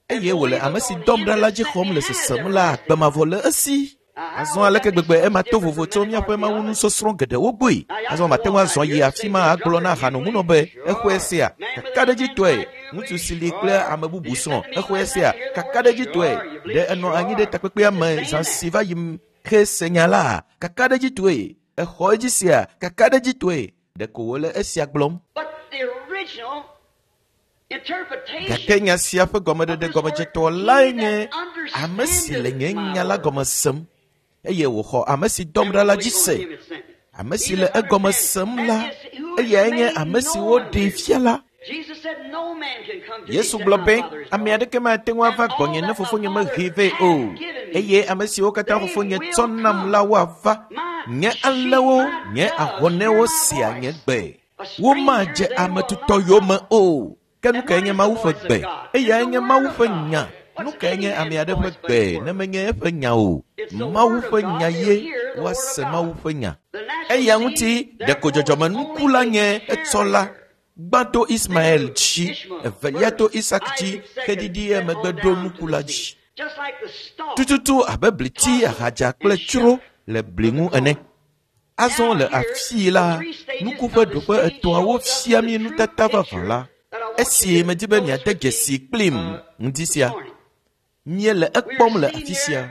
eye wòle ame si dɔm ɖa la dzi xɔm le sesem la, agbe mavɔ le esi. Azɔ aleke gbegbe ema to vovo tso míaƒe mawunusɔsrɔ̃ geɖewo gbɔe. Azɔ mate ŋu azɔ yi afi ma agblɔ na hanomunɔ be exɔe sea kakaɖedzitɔe, ŋutsu si li kple ame bubu srɔ̃ exɔe sea kakaɖedzitɔe, ɖe enɔ anyi ɖe takpekpea me zã si va yi hese nya la kakaɖedzitɔe, exɔ edzi sea kakaɖedzitɔe, ɖeko wòle esia gblɔm. Gake nya sia ƒe gɔmeɖeɖe gɔmedzetɔ lae nye ame si le nye nya la gɔme sem eye wòxɔ ame si dɔm ɖa la dzi se. Ame si le egɔme sem la, eyae nye ame si woɖee fia la. Yesu gblɔ be, ame aɖeke mate ŋu ava gbɔnye ne fofonye mehee vɛ o. Eye ame siwo katã fofonye tsɔ nam la woava. Nye alẽwo, nye ahɔnɛwo sea nye gbe. Womadze ame tutɔ yome o. Ke nu kae nye Mawu ƒe gbe? Eyae nye Mawu ƒe nya. Nu kae nye ame aɖe ƒe gbe ne menye eƒe nya o? Mawu ƒe nya ye woase Mawu ƒe nya. Eya ŋuti ɖeko dzɔdzɔmenuku la nye etsɔla. Gbã to Ismael dzi, evelia to Isak dzi, xeɖiɖi emegbe ɖo nuku la dzi. Tututu abe bliti, ahadza kple tsro le bli ŋu ene. Azɔ le afii la, nuku ƒe ɖoƒe etɔ̃awo fia mi nutata vavã la. Esi medi be miade dzesi kplim ŋdi sia. Míele ekpɔm le afi sia.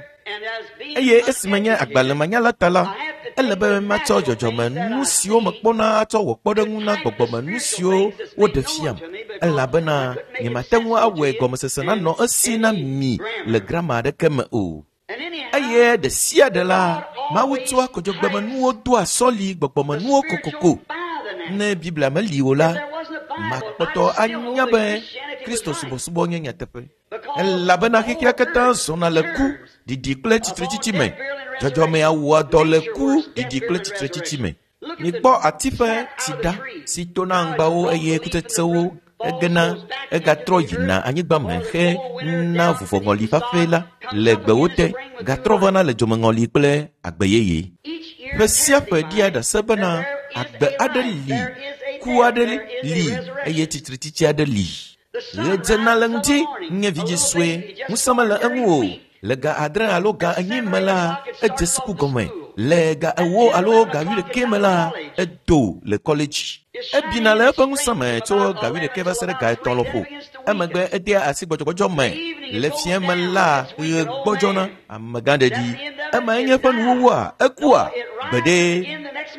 Eye esime nye agbalẽmanyala ta la, ele be matsɔ dzɔdzɔmenu siwo mekpɔna atsɔ wɔ kpɔɖeŋu na gbɔgbɔmenu siwo woɖe fiam. Elabena nyemate ŋu awɔe gɔmesese nanɔ esi na mi le grama aɖeke me o. Eye ɖe sia ɖe la, Mawu tsɔa kodzogbemenuwo doa sɔli gbɔgbɔmenuwo kokoko. Ne Biblia meli o la, makpɔtɔ anya be Kristo subɔsubɔ nye nyateƒe. Elabena xexea katã zɔna le ku, ɖiɖi kple tsitretsitsi me. Dzɔdzɔmea wɔa dɔ le ku, ɖiɖi kple tsitretsitsi me. Mikpɔ ati ƒe tsi ɖa si tona aŋgbawo eye kutsetsewo egena egatrɔ yina anyigba me xe na vuvɔŋɔli ƒaƒɛ la le gbewo te gatrɔ vana le dzomeŋɔli kple agbe yeye. Ƒe sia ƒe ɖia ɖase bena agbe aɖe li, ku aɖe li eye tsitretsitsi aɖe li. Ɣe dzena le ŋdi nye vidzĩ sue, ŋusẽ mele eŋu o. Le ga 7 alo ga 8 me la, edze suku gɔme. Le ga 4 alo ga 11 me la, edo le kɔledzi. Ebina le eƒe ŋusẽ me tso ga 11 va se ɖe ga 3 lɔƒo. Emegbe edea asi gbɔdzɔgbɔdzɔ me. Le fiẽ me la, ɣe gbɔdzɔna, amegã ɖeɖi. Emae nye eƒe nuwuwua, ekua gbeɖe.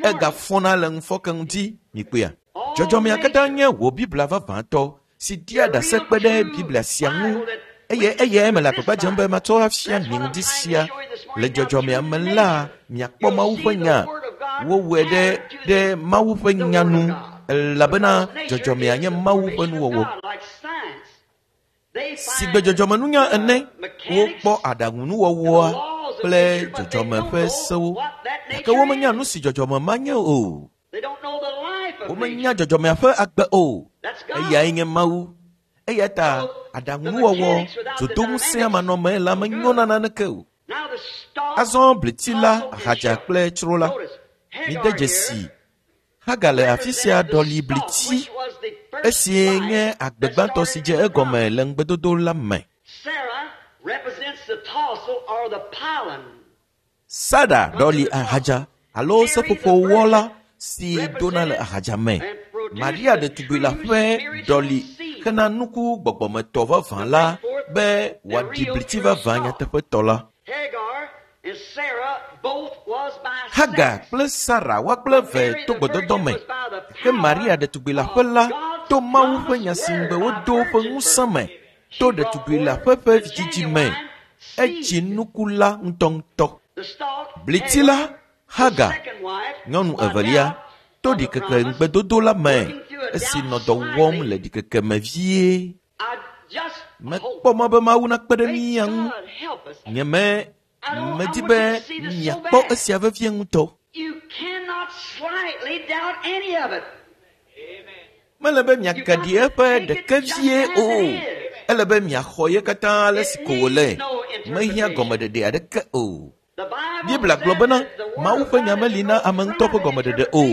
Egafɔna le ŋufɔke ŋuti, mikpɔea. Dzɔdzɔmea katã nye wò Biblia vavãtɔ si dia ɖase kpe ɖe Biblia sia ŋu. Eye eyae mele agbagba dzem be matsɔ afia mi ŋdi sia. Le dzɔdzɔmea me la, miakpɔ Mawu ƒe nya. Wowɔe ɖe ɖe Mawu ƒe nya nu, elabena dzɔdzɔmea nye Mawu ƒe nuwɔwɔ. Sigbe dzɔdzɔmenunya ene, wokpɔ aɖaŋunuwɔwɔa kple dzɔdzɔme ƒe sewo. Gake womenya nu si dzɔdzɔme ma nye o. Womenya dzɔdzɔmea ƒe agbe o. Eyae nye Mawu. Eya ta aɖaŋunuwɔwɔ dzodoŋusẽa manɔme la menyona naneke o. Azɔ bliti la, ahadza kple tsro la. Mide dzesi. Hagar le afi sia ɖɔli bliti esie nye agbe gbãtɔ si dze egɔme le ŋugbedodo la me. Sara ɖɔli ahadza alo seƒoƒowɔla si dona le ahadza me. Maria ɖetugbui la ƒe ɖɔli xena nuku gbɔgbɔmetɔ vavã la be wòaɖi bliti vavã nyateƒetɔ la. Hagar kple Sara woa kple eve to gbɔdɔdɔ me. Ke Maria ɖetugbui la ƒe la to Mawu ƒe nya si ŋugbe wodo ƒe ŋusẽ me to ɖetugbui la ƒe ƒe vidzidzi me. Edzi nuku la ŋutɔŋutɔ. Bliti la, Hagar, nyɔnu evelia, to ɖikeke ŋugbedodo la me esi nɔ dɔ wɔm le ɖikeke me vie. Mekpɔ mɔ be Mawu nakpe ɖe mía ŋu. Nye medi be miakpɔ esia vevie ŋutɔ. Mele be miagaɖi eƒe ɖeke vie o. Ele be miaxɔ ye katã ale si ko wòle. Mehiã gɔmeɖeɖe aɖeke o. Biblia gblɔ bena Mawu ƒe nya meli na ame ŋutɔ ƒe gɔmeɖeɖe o.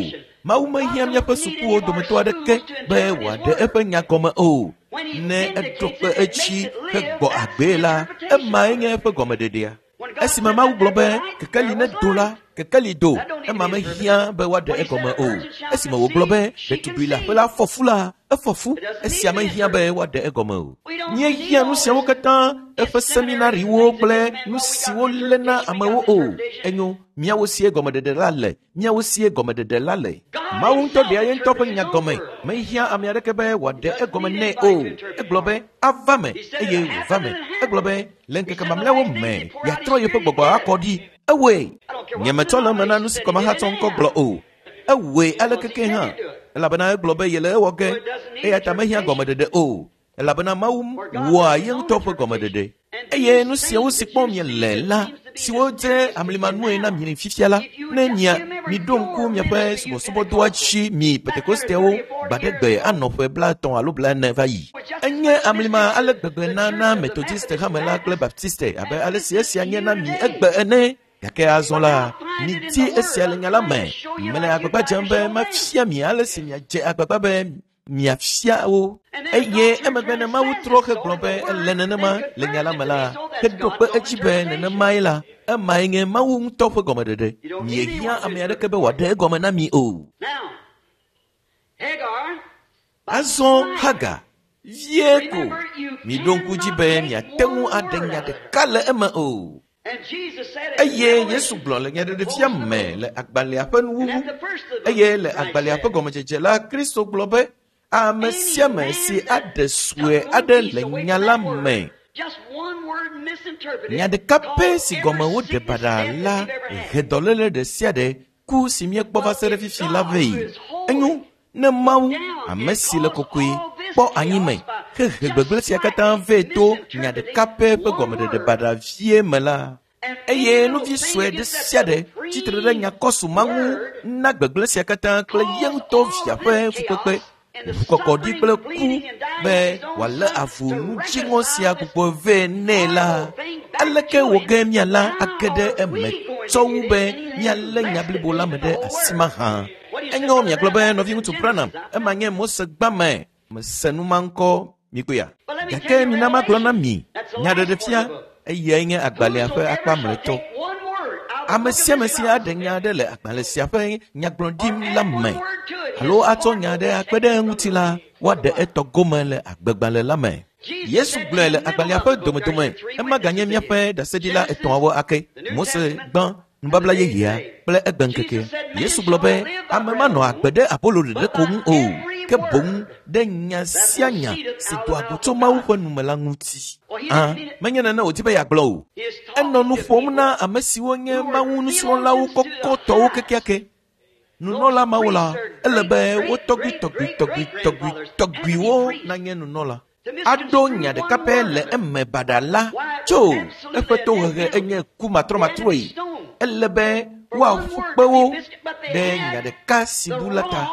Mawu mehiã míaƒe sukuwo dometɔ aɖeke be wòaɖe eƒe nya gɔme o. Ne eɖo kpe edzi hegbɔ agbee la, emae nye eƒe gɔmeɖeɖea. Esime Mawu gblɔ be kekeli nedo la, kekeli do, ema mehiã be woaɖe egɔme o. Esime wògblɔ be ɖetugbui le aƒe la fɔ fu la, efɔ fu, esia mehiã be woaɖe egɔme o. Míehiã nu siawo katã, eƒe seminariwo kple nu siwo léna amewo o. Enyo, míawo sie gɔmeɖeɖe la le, míawo sie gɔmeɖeɖe la le. Mawu ŋutɔ ɖea ye ŋutɔ ƒe nya gɔme. Mehiã ame aɖeke be wòaɖe egɔme nɛ o. Egblɔ be ava me eye wòva me. Egblɔ be le ŋkeke mamlɛawo me yeatrɔ yeƒe gbɔgbɔ akɔ ɖi. Ewɔe. Nyemetsɔ le eme na nu si kɔmahatsɔ ŋkɔ gblɔ o. Ewɔe alekeke hã. Elabena egblɔ be yele ewɔ ge. Eya ta mehiã gɔmeɖeɖe o. Elabena Mawu wɔa ye ŋutɔ ƒe gɔmeɖeɖe. Eye nu siawo si kpɔm miele la, siwo dze amlimanue na mi fifia la, ne mia miɖo ŋku miaƒe subɔsubɔdɔa dzi mi Pentekostewo gbaɖegbe anɔ ƒe 50 alo 40 va yi. Enye amlima ale gbegbe na Methodiste hame la kple Baptiste abe ale si esia nye na mi egbe ene. Gake azɔ la, midi esia le nya la me. Mele agbagba dzem be mafia mi ale si miadze agbagba be miafia wo. Eye emegbe ne Mawu trɔ hegblɔ be ele nenema le nya la me la, heɖo kpe edzi be nenemae la, emae nye Mawu ŋutɔ ƒe gɔmeɖeɖe. Miehiã ame aɖeke be wòaɖe egɔme na mi o. Azɔ Hagar, vie ko, miɖo ŋku dzi be miate ŋu aɖe nya ɖeka le eme o. Eye Yesu gblɔ le nyaɖeɖefia me le agbalẽa ƒe nuwuwu, eye le agbalẽa ƒe gɔmedzedze la, Kristo gblɔ be ame sia ame si aɖe sue aɖe le nya la me, nya ɖeka pɛ si gɔme woɖe baɖa la he dɔléle ɖe sia ɖe ku si míekpɔ va se ɖe fifi la vɛ. Enyo, ne Mawu, ame si le kɔkɔe, kpɔ anyi me hehe gbegblẽ sia katã vɛ to nya ɖeka pɛ ƒe gɔmeɖeɖe baɖa vie me la, eye nuvi sue ɖe sia ɖe tsitre ɖe nyakɔsu ma ŋu na gbegblẽ sia katã kple ye ŋutɔ via ƒe fukpekpe, ʋukɔkɔɖi kple ku be wòalé avu nudziŋɔ sia gbugbɔ vɛ nɛ la, aleke wòge miala age ɖe eme tsɔ wu be mialé nya blibo la me ɖe asi mahã? Enyo miagblɔ be nɔviŋutsu Branham, ema nye Mose gbame, mese nu ma ŋkɔ mikpɔea. Gake mina magblɔ na mi nyaɖeɖefia, eyae nye agbalẽa ƒe akpa mlɔetɔ. Ame sia ame si aɖe nya aɖe le agbalẽ sia ƒe nyagblɔɖim la me alo atsɔ nya aɖe akpe ɖe eŋuti la, woaɖe etɔ gome le agbegbalẽ la me. Yesu gblɔe le agbalẽa ƒe domedome, ema ganye míaƒe ɖaseɖila etɔ̃awo ake. Mose gbã, nubabla yeyea kple egbeŋkeke. Yesu gblɔ be ame manɔ agbe ɖe abolo ɖeɖe ko ŋu o, ke boŋ ɖe nya sia nya si doa go tso Mawu ƒe nume la ŋuti. Menye nene wòdi be yeagblɔ o. Enɔ nu ƒom na ame siwo nye Mawu nusrɔ̃lawo kɔkɔtɔwo kekeake. Nunɔla mawo la, ele be wo tɔgbui tɔgbui tɔgbui tɔgbui tɔgbuiwo nanye nunɔla. Aɖo nya ɖeka pɛ le eme baɖa la tso eƒe tohehe enye ku matrɔmatrɔe. Ele be woaƒu kpe wo ɖe nya ɖeka si bu la ta,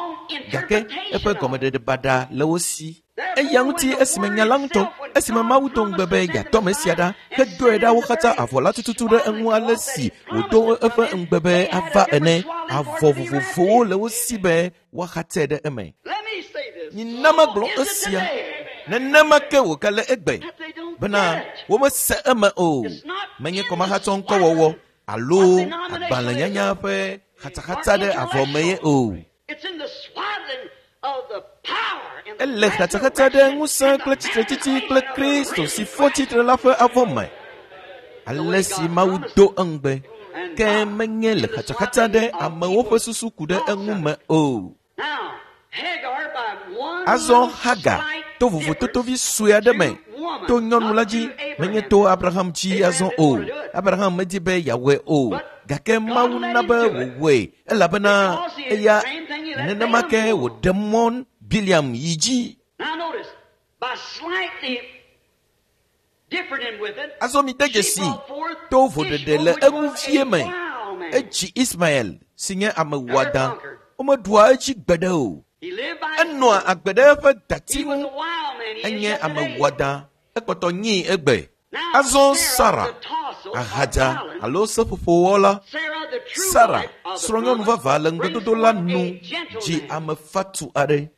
gake eƒe gɔmeɖeɖe baɖa le wo si. Eya ŋuti esime nya la ŋutɔ, esime Mawu do ŋugbe be yeatɔ ame sia ɖa, hedoe ɖa wo katã avɔ la tututu ɖe eŋu ale si wòdo eƒe ŋugbe be ava ene. Avɔ vovovowo le wo si be woaxatse ɖe eme. Mina magblɔ esia, nenema ke wògale egbe bena womese eme o. Menye kɔmahatsɔ ŋkɔwɔwɔ alo agbalẽnyanya ƒe xatsaxatsa ɖe avɔ me ye o. Ele xatsaxatsa ɖe ŋusẽ kple tsitretsitsi kple Kristo si fɔ tsitre la ƒe avɔ me. Ale si Mawu do eŋugbe, ke menye le xatsaxatsa ɖe amewo ƒe susu ku ɖe eŋu me o. Azɔ Hagar to vovototovi sue aɖe me to nyɔnu la dzi, menye to Abraham dzi azɔ o. Abraham medi be yeawɔe o, gake Mawu na be wòwɔe elabena eya nenema ke wòɖe mɔ Biliam yi dzi. Azɔ mide dzesi to voɖeɖe le eŋu vie me. Edzi Ismael si nye ame wɔadã. Womeɖua edzi gbeɖe o. Enɔa agbe ɖe eƒe dati ŋu. Enye ame wɔadã. Ekpɔtɔ nyii egbe. Azɔ Sara, ahadza alo seƒoƒowɔla, Sara, srɔ̃nyɔnu vavã le ŋugbedodo la nu, dzi ame fatu aɖe.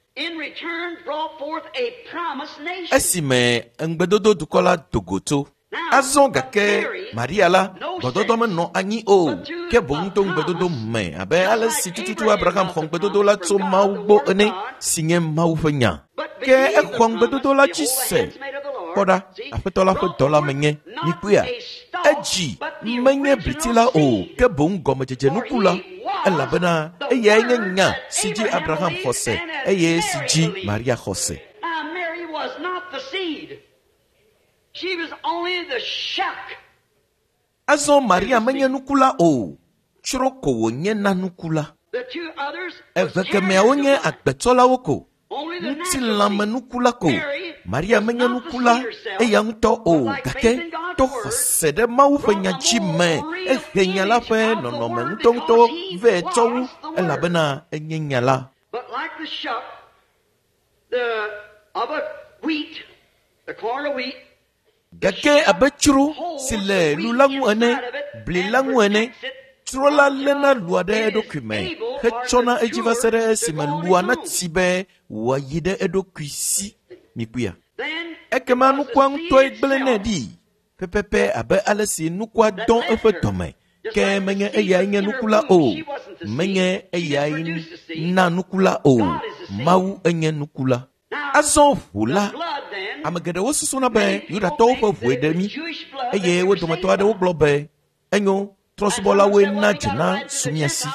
Esime ŋugbedodo dukɔ la do go tso. Azɔ gake Maria la, gbɔdɔdɔ menɔ anyi o, ke boŋ to ŋugbedodo me abe ale si tututu Abraham xɔ ŋugbedodo la tso Mawu gbɔ ene, si nye Mawu ƒe nya. Ke exɔ ŋugbedodo la dzi se. Kpɔ ɖa, Aƒetɔ la ƒe dɔla menye. Mikpɔea? Edzi menye bliti la o, ke boŋ gɔmedzedze nuku la, elabena eyae nye nya si dzi Abraham xɔ se eye si dzi Maria xɔ se. Azɔ Maria menye nuku la o, tsro ko wònye na nuku la. Eve kemeawo nye agbetsɔlawo ko. Ŋutilãmenuku la ko. Maria menye nuku la eya ŋutɔ o, gake to xɔse ɖe Mawu ƒe nya dzi me ehe nya la ƒe nɔnɔme ŋutɔŋutɔ vɛ tsɔ wu elabena enye nya la. But like the shuck, the of a wheat, the corn of wheat, Gake abe tsro si le lu la ŋu ene, bli la ŋu ene, tsro la léna lua ɖe eɖokui me hetsɔna edzi va se ɖe esime lua natsi be wòayi ɖe eɖokui si. Mikpɔea? then Ekema was the nukua seed ŋutɔe gblẽnɛ itself ɖi pɛpɛpɛ abe ale si nukua that dɔn left eƒe her. dɔme. Just Ke like the menye seed eyae was nye in her nuku la womb, o. she wasn't the seed. Menye She just eyae produced the seed. na nuku la o. God is the seed. Mawu enye nuku la. Now, Azɔ ʋu the la, blood then, ame geɖewo susuna be many people Yudatɔwo think ƒe that ʋue it ɖe was mí Jewish blood that eye we wo were dometɔ saved aɖewo by. gblɔ be enyo trɔ̃subɔlawoe na dzena su mía si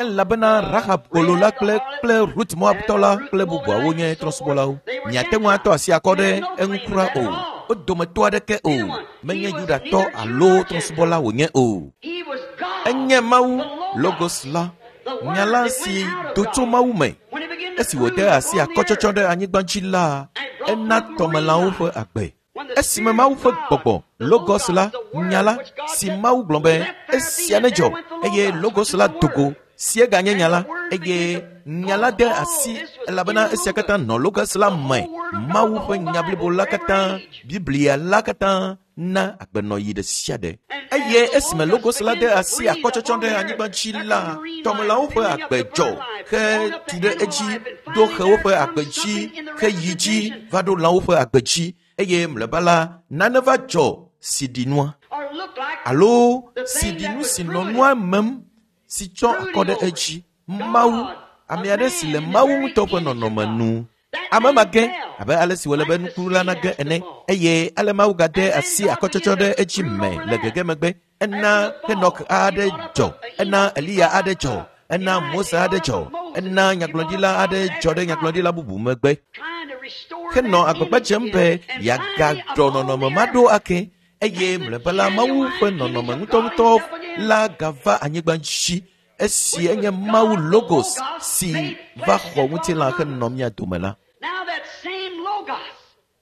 elabena Rahab gbolo la Rahab the kple harlot kple Rut Moabtɔ and la Ruth kple the bubuawo Moabite nye and so forth, trɔ̃subɔlawo. they were Miate ŋu atɔ Gentiles. asi akɔ He ɖe had no eŋu claim to kura that o. at all. Wo dometɔ aɖeke o. Anyone. He Menye was Yudatɔ neither Jew alo nor trɔ̃subɔla Gentile. wònye o. He was God, Enye Mawu the Logos, Logos la, the nya Word la that si went out of do tso God. Mawu me. When he began to Esi wòde brood asi upon the akɔtsɔtsɔ earth ɖe anyigba dzi la, and brought ena forth marine tɔmelãwo ƒe life, agbe. when the Esime Spirit Mawu of ƒe God, gbɔgbɔ the Logos la, Logos, the nya Word la which God si said Mawu gblɔ be left there be, esia and nedzɔ there went the eye Logos, which Logos is la the do go Word. si eganye And nya the la Word eye began to nya la cause de all asi this was in elabena the esia katã Logos. nɔ Logos la The me. whole Word of God, Mawu the ƒe whole nya Bible blibo la for every katã, age. Biblia la katã na agbenɔɣi ɖe sia ɖe. And as Eye the esime Logos Logos la began de to asi breathe akɔtsɔtsɔ upon ɖe the anyigba earth, dzi there la, come marine life, tɔmelãwo ƒe building up agbe the dzɔ bird life, on up hetu the ɖe animal edzi, life, and ɖo finally xewo there ƒe comes agbe dzi, something in the heyi dzi representation va ɖo lãwo ƒe agbe dzi eye mlɔeba la nane va dzɔ si ɖi nua or looked like alo the si thing ɖi that nu was si nɔ brewing nua it, mem si tsɔ akɔ brooding ɖe over it. edzi. Mawu, God, a ame aɖe si man le in the Mawu very ŋutɔ ƒe image of nɔnɔme God. nu. That Ame ma man ge fell abe ale si wòle be like the nuku la seed nage has to ene fall. eye ale Mawu gade And then asi God akɔtsɔtsɔ began ɖe to edzi brood me over le that. gege megbe. Ena After the Henok fall, he aɖe brought up dzɔ, a ena Enoch, he Eliya brought aɖe up dzɔ, a ena Elijah, Mose he aɖe brought up dzɔ, a Moses, ena he brought up nyagblɔɖila aɖe prophet dzɔ after ɖe nyagblɔɖila prophet, bubu megbe. trying to restore Henɔ that agbagba image dzem again. be And finally, yeagaɖɔ upon nɔnɔme the ma ɖo earth, ake eye and the mlɔeba la Mawu ƒe genuine image nɔnɔme of God ŋutɔŋutɔ himself again, la gava anyigba dzi esi which was enye Mawu God, the Logos Logos, si made va flesh xɔ and dwelt ŋutilã among us. henɔ mía dome la. Now that same Logos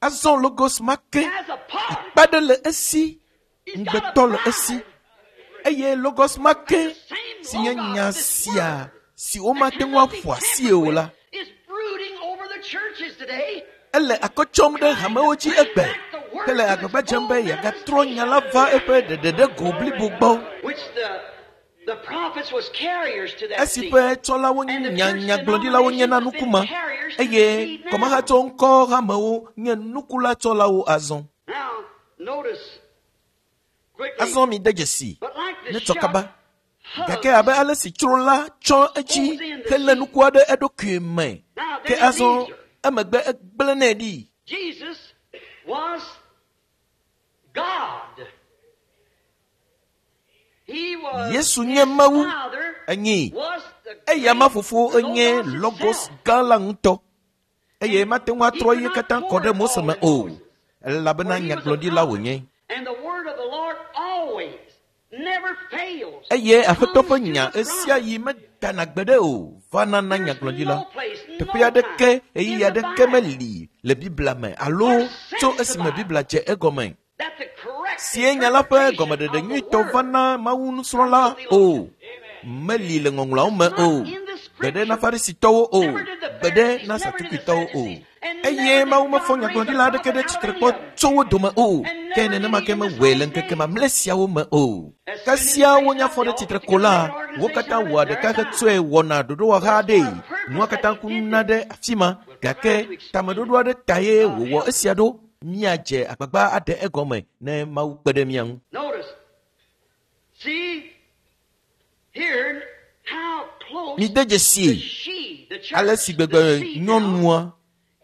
Azɔ Logos ma ke has a part. akpa ɖe le esi, He's got a ŋugbetɔ le esi bride. eye Logos ma And ke the same si nye Logos, nya this sia word si that womate ŋu cannot be aƒo asie tampered o with, la, is brooding over the churches today, ele akɔ tsɔm ɖe trying to hamewo dzi bring egbe back the word hele to its agbagba dzem full be yeagatrɔ nya la va manifestation, eƒe ɖeɖeɖego blibo gbɔ which the prophets was carriers to that esi seed. ƒe tsɔlawo And the nya church nyagblɔɖilawo nye denominations na has nuku been ma carriers to the eye seed now. kɔmahatsɔ ŋkɔ hamewo nye nukulatsɔlawo azɔ. Now, notice quickly, Azɔ mi de dzesi but like the ne tsɔ shuck kaba gake abe hugs ale si tsro la tsɔ edzi holds in the helé seed. nukua ɖe eɖokui me Now, ke then he azɔ leaves her. emegbe egblẽnɛ ɖi. Jesus was God. He was Yesu nye his Mawu Father enyi was the eya ma great fofo enye Logos Logos itself. gã la ŋutɔ eye And mate ŋu he atrɔ could ye not katã kɔ pour ɖe it Mose all me in o Moses, elabena for he was a nyagblɔɖila prophet. wònye. And the word of the Lord always, never fails, Eye Aƒetɔ ƒe comes to nya the esia prophet. yi medana gbeɖe o vana na There's nyagblɔɖila. no place, Teƒe no aɖeke, time ɣeyiɣi in the aɖeke Bible meli le Biblia me alo or tso since the esime Bible Biblia dze egɔme that the correct sie nya la ƒe interpretation gɔmeɖeɖe of the nyuitɔ word vana Mawu comes nusrɔ̃la to o. theologians. Meli le ŋɔŋlɔawo me It's o. not in the Gbeɖe na scripture. Farisitɔwo o. Never did the Gbeɖe Pharisees, na never did the Satukitɔwo o. Sadducees, and Eye never Mawu did mefɔ God raise a nyagblɔɖila aɖeke prophet ɖe out of tsitre any kpɔ of them. tso wo dome o. And Ke never did nenema he ke in this mewɔe le last ŋkeke days. mamlɛ siawo me o. As soon as Kasia they raise wonya up, fɔ they ɖe all tsitre get ko together, la, make an wo organization katã out of it, wɔa and there ɖeka it dies. hetsɔe wɔna ɖoɖowɔha But for aɖee. a purpose Nua that katã he did kuna this. ɖe afi ma We'll try gake to explain it. tameɖoɖo aɖe tae God wòwɔ help us. esia ɖo. Míadze agbagba aɖe egɔme ne Mawu kpe ɖe mía ŋu. Notice, see here how close Mide the dzesi she, the ale church, si the gbegbe seed now, nyɔnua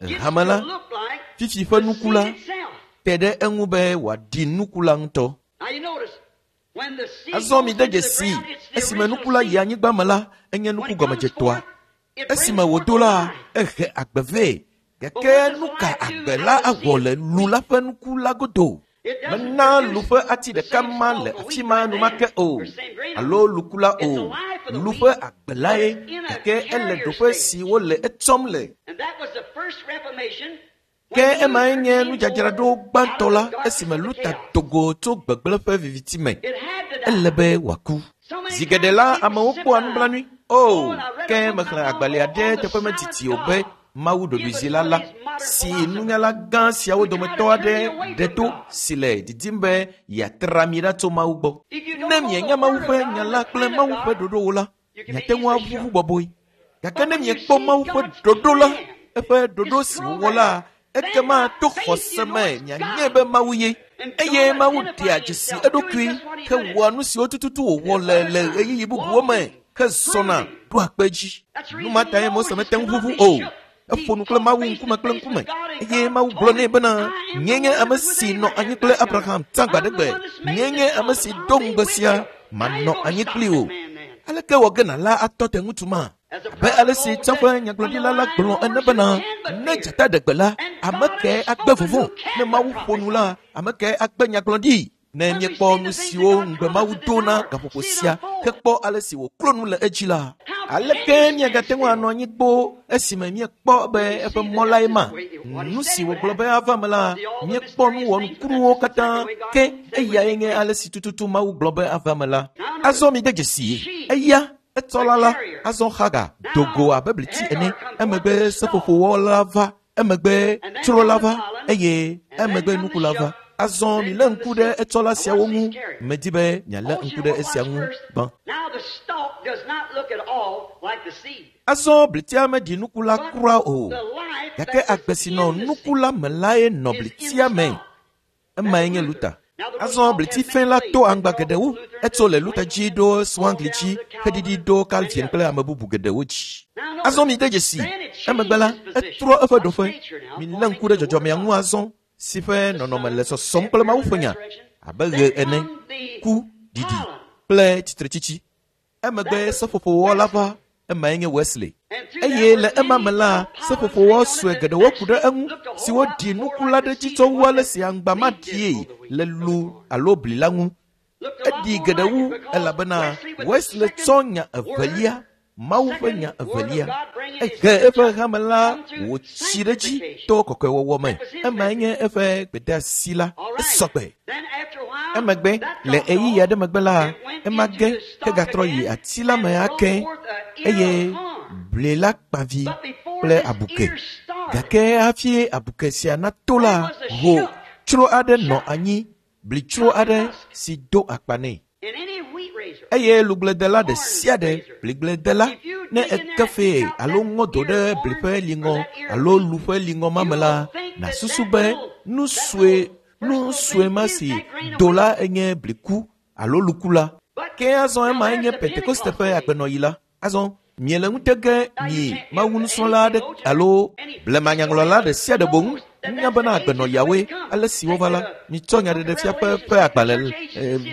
gets hame to la look like fifi ƒe the nuku seed la itself. te ɖe eŋu be wòaɖi nuku la ŋutɔ. Now you notice, when the seed Azɔ goes mide into the dzesi ground, it's the esime original nuku la yi seed. anyigba me la, enye When nuku it comes gɔmedzetɔa. forth, it brings Esime forth wòdo a la, life. ehe agbe vɛ. But Gake what does nu ka life do agbe out la of the awɔ seed? le lu la ƒe nuku la godo? It doesn't Mena lu produce ƒe ati the ɖeka same ma stalk le of afi wheat ma right enumake then, o or same grain of alo wheat. luku la It's a o. life Lu ƒe agbe lae, gake ele ɖoƒe si wole etsɔm le. Ke emae nye nudzadzraɖo gbãtɔ la esime Luta do go tso gbegblẽ ƒe viviti me. Ele be wòaku. Zi geɖe la, amewo kpɔa nublanui. O, ke mexlẽ agbalẽ aɖe teƒe medidi o be Mawu ɖoɖoezila la, si nunyala gã siawo dometɔ aɖe ɖe to si le didim be yeatra mi ɖa tso Mawu gbɔ. Ne mienya Mawu ƒe nya la kple Mawu ƒe ɖoɖowo la, miate ŋu aʋuʋu bɔbɔe. Gake ne miekpɔ Mawu ƒe ɖoɖo la, eƒe ɖoɖo si wòwɔ la, ekema to xɔse me mianye be Mawu ye. Eye Mawu ɖea dzesi eɖokui hewɔa nu siwo tututu wòwɔ le le ɣeyiɣi bubuwo me hezɔna ɖoa kpe edzi. Nu ma tae Mose mete ŋu ʋuʋu o. Eƒo nu kple Mawu ŋkume kple ŋkume eye Mawu gblɔ nɛ bena, Nyee nye ame si nɔ anyi kple Abraham tsã gbaɖegbe. Nyee nye ame si do ŋugbe sia, manɔ anyi kpli wò. Aleke wɔ ge nàla atɔ te ŋutsu ma? Abe ale si tsã ƒe nyagblɔɖila la gblɔ ene bena, ne dzata ɖe gbe la, ame kae agbe vɔvɔ̃? Ne Mawu ƒo nu la, ame kae agbe nyagblɔɖi? Ne míekpɔ nu siwo ŋugbe Mawu do na gaƒoƒo sia hekpɔ ale si wòklo nu le edzi la, aleke míagate ŋu anɔ anyi kpoo esime míekpɔ be eƒe mɔ lae ma? Nu si wògblɔ be ava eme la, míekpɔ nu wɔnukunuwo katã, ke eyae nye ale si tututu Mawu gblɔ be ava eme la. Azɔ mide dzesii, eya etsɔla la azɔ Hagar do go abe bliti ene, emegbe seƒoƒowɔla va, emegbe tsrola va, eye emegbe nukula va. Azɔ milé ŋku ɖe etsɔla siawo ŋu. Medi be mialé ŋku ɖe esia ŋu gbã. Azɔ blitia meɖi nuku la kura o, gake agbe si nɔ nuku la me lae nɔ blitia me. Emae nye Luta. Azɔ bliti fɛ̃ la to aŋgba geɖewo. Etso le Luta dzi ɖo Zwingli dzi heɖiɖi ɖo Calvin kple ame bubu geɖewo dzi. Azɔ mide dzesi, emegbe la, etrɔ eƒe ɖoƒe. Milé ŋku ɖe dzɔdzɔmea ŋu azɔ, si ƒe nɔnɔme le sɔsɔm kple Mawu ƒe nya, abe ɣe ene, ku, ɖiɖi kple tsitretsitsi. Emegbe seƒoƒowɔla va, emae nye Wesley. Eye le ema me la, seƒoƒowɔ sue geɖewo ku ɖe eŋu, siwo ɖi nuku la ɖe edzi tsɔ wu ale si aŋgba maɖie le lu alo bli la ŋu. Eɖi geɖe wu elabena Wesley tsɔ nya evelia, Mawu ƒe nya evelia. Ehe eƒe hame la wòtsi ɖe edzi to kɔkɔewɔwɔ me. Emae nye eƒe gbedeasi la. Esɔgbe. Emegbe, le ɣeyiɣi aɖe megbe la, ema ge hegatrɔ yi ati la me ake eye bli la kpa vi kple abuke. Gake hafi abuke sia nato la, ho tsro aɖe nɔ anyi, blitsro aɖe si do akpa nɛ. Eye lugbledela ɖe sia ɖe, bligbledela, ne eke fee alo ŋɔ do ɖe bli ƒe liŋɔ alo lu ƒe liŋɔ ma me la, nàsusu be nu sue nu sue ma si do la enye bliku alo luku la. Ke azɔ emae nye Pentekoste ƒe agbenɔɣi la. Azɔ miele ŋute ge mi Mawu nusrɔ̃la aɖe alo blemanyaŋlɔla ɖe sia ɖe boŋ nunya bena agbenɔɣiawoe ale si wova la, mitsɔ nyaɖeɖefia ƒe agbalẽ,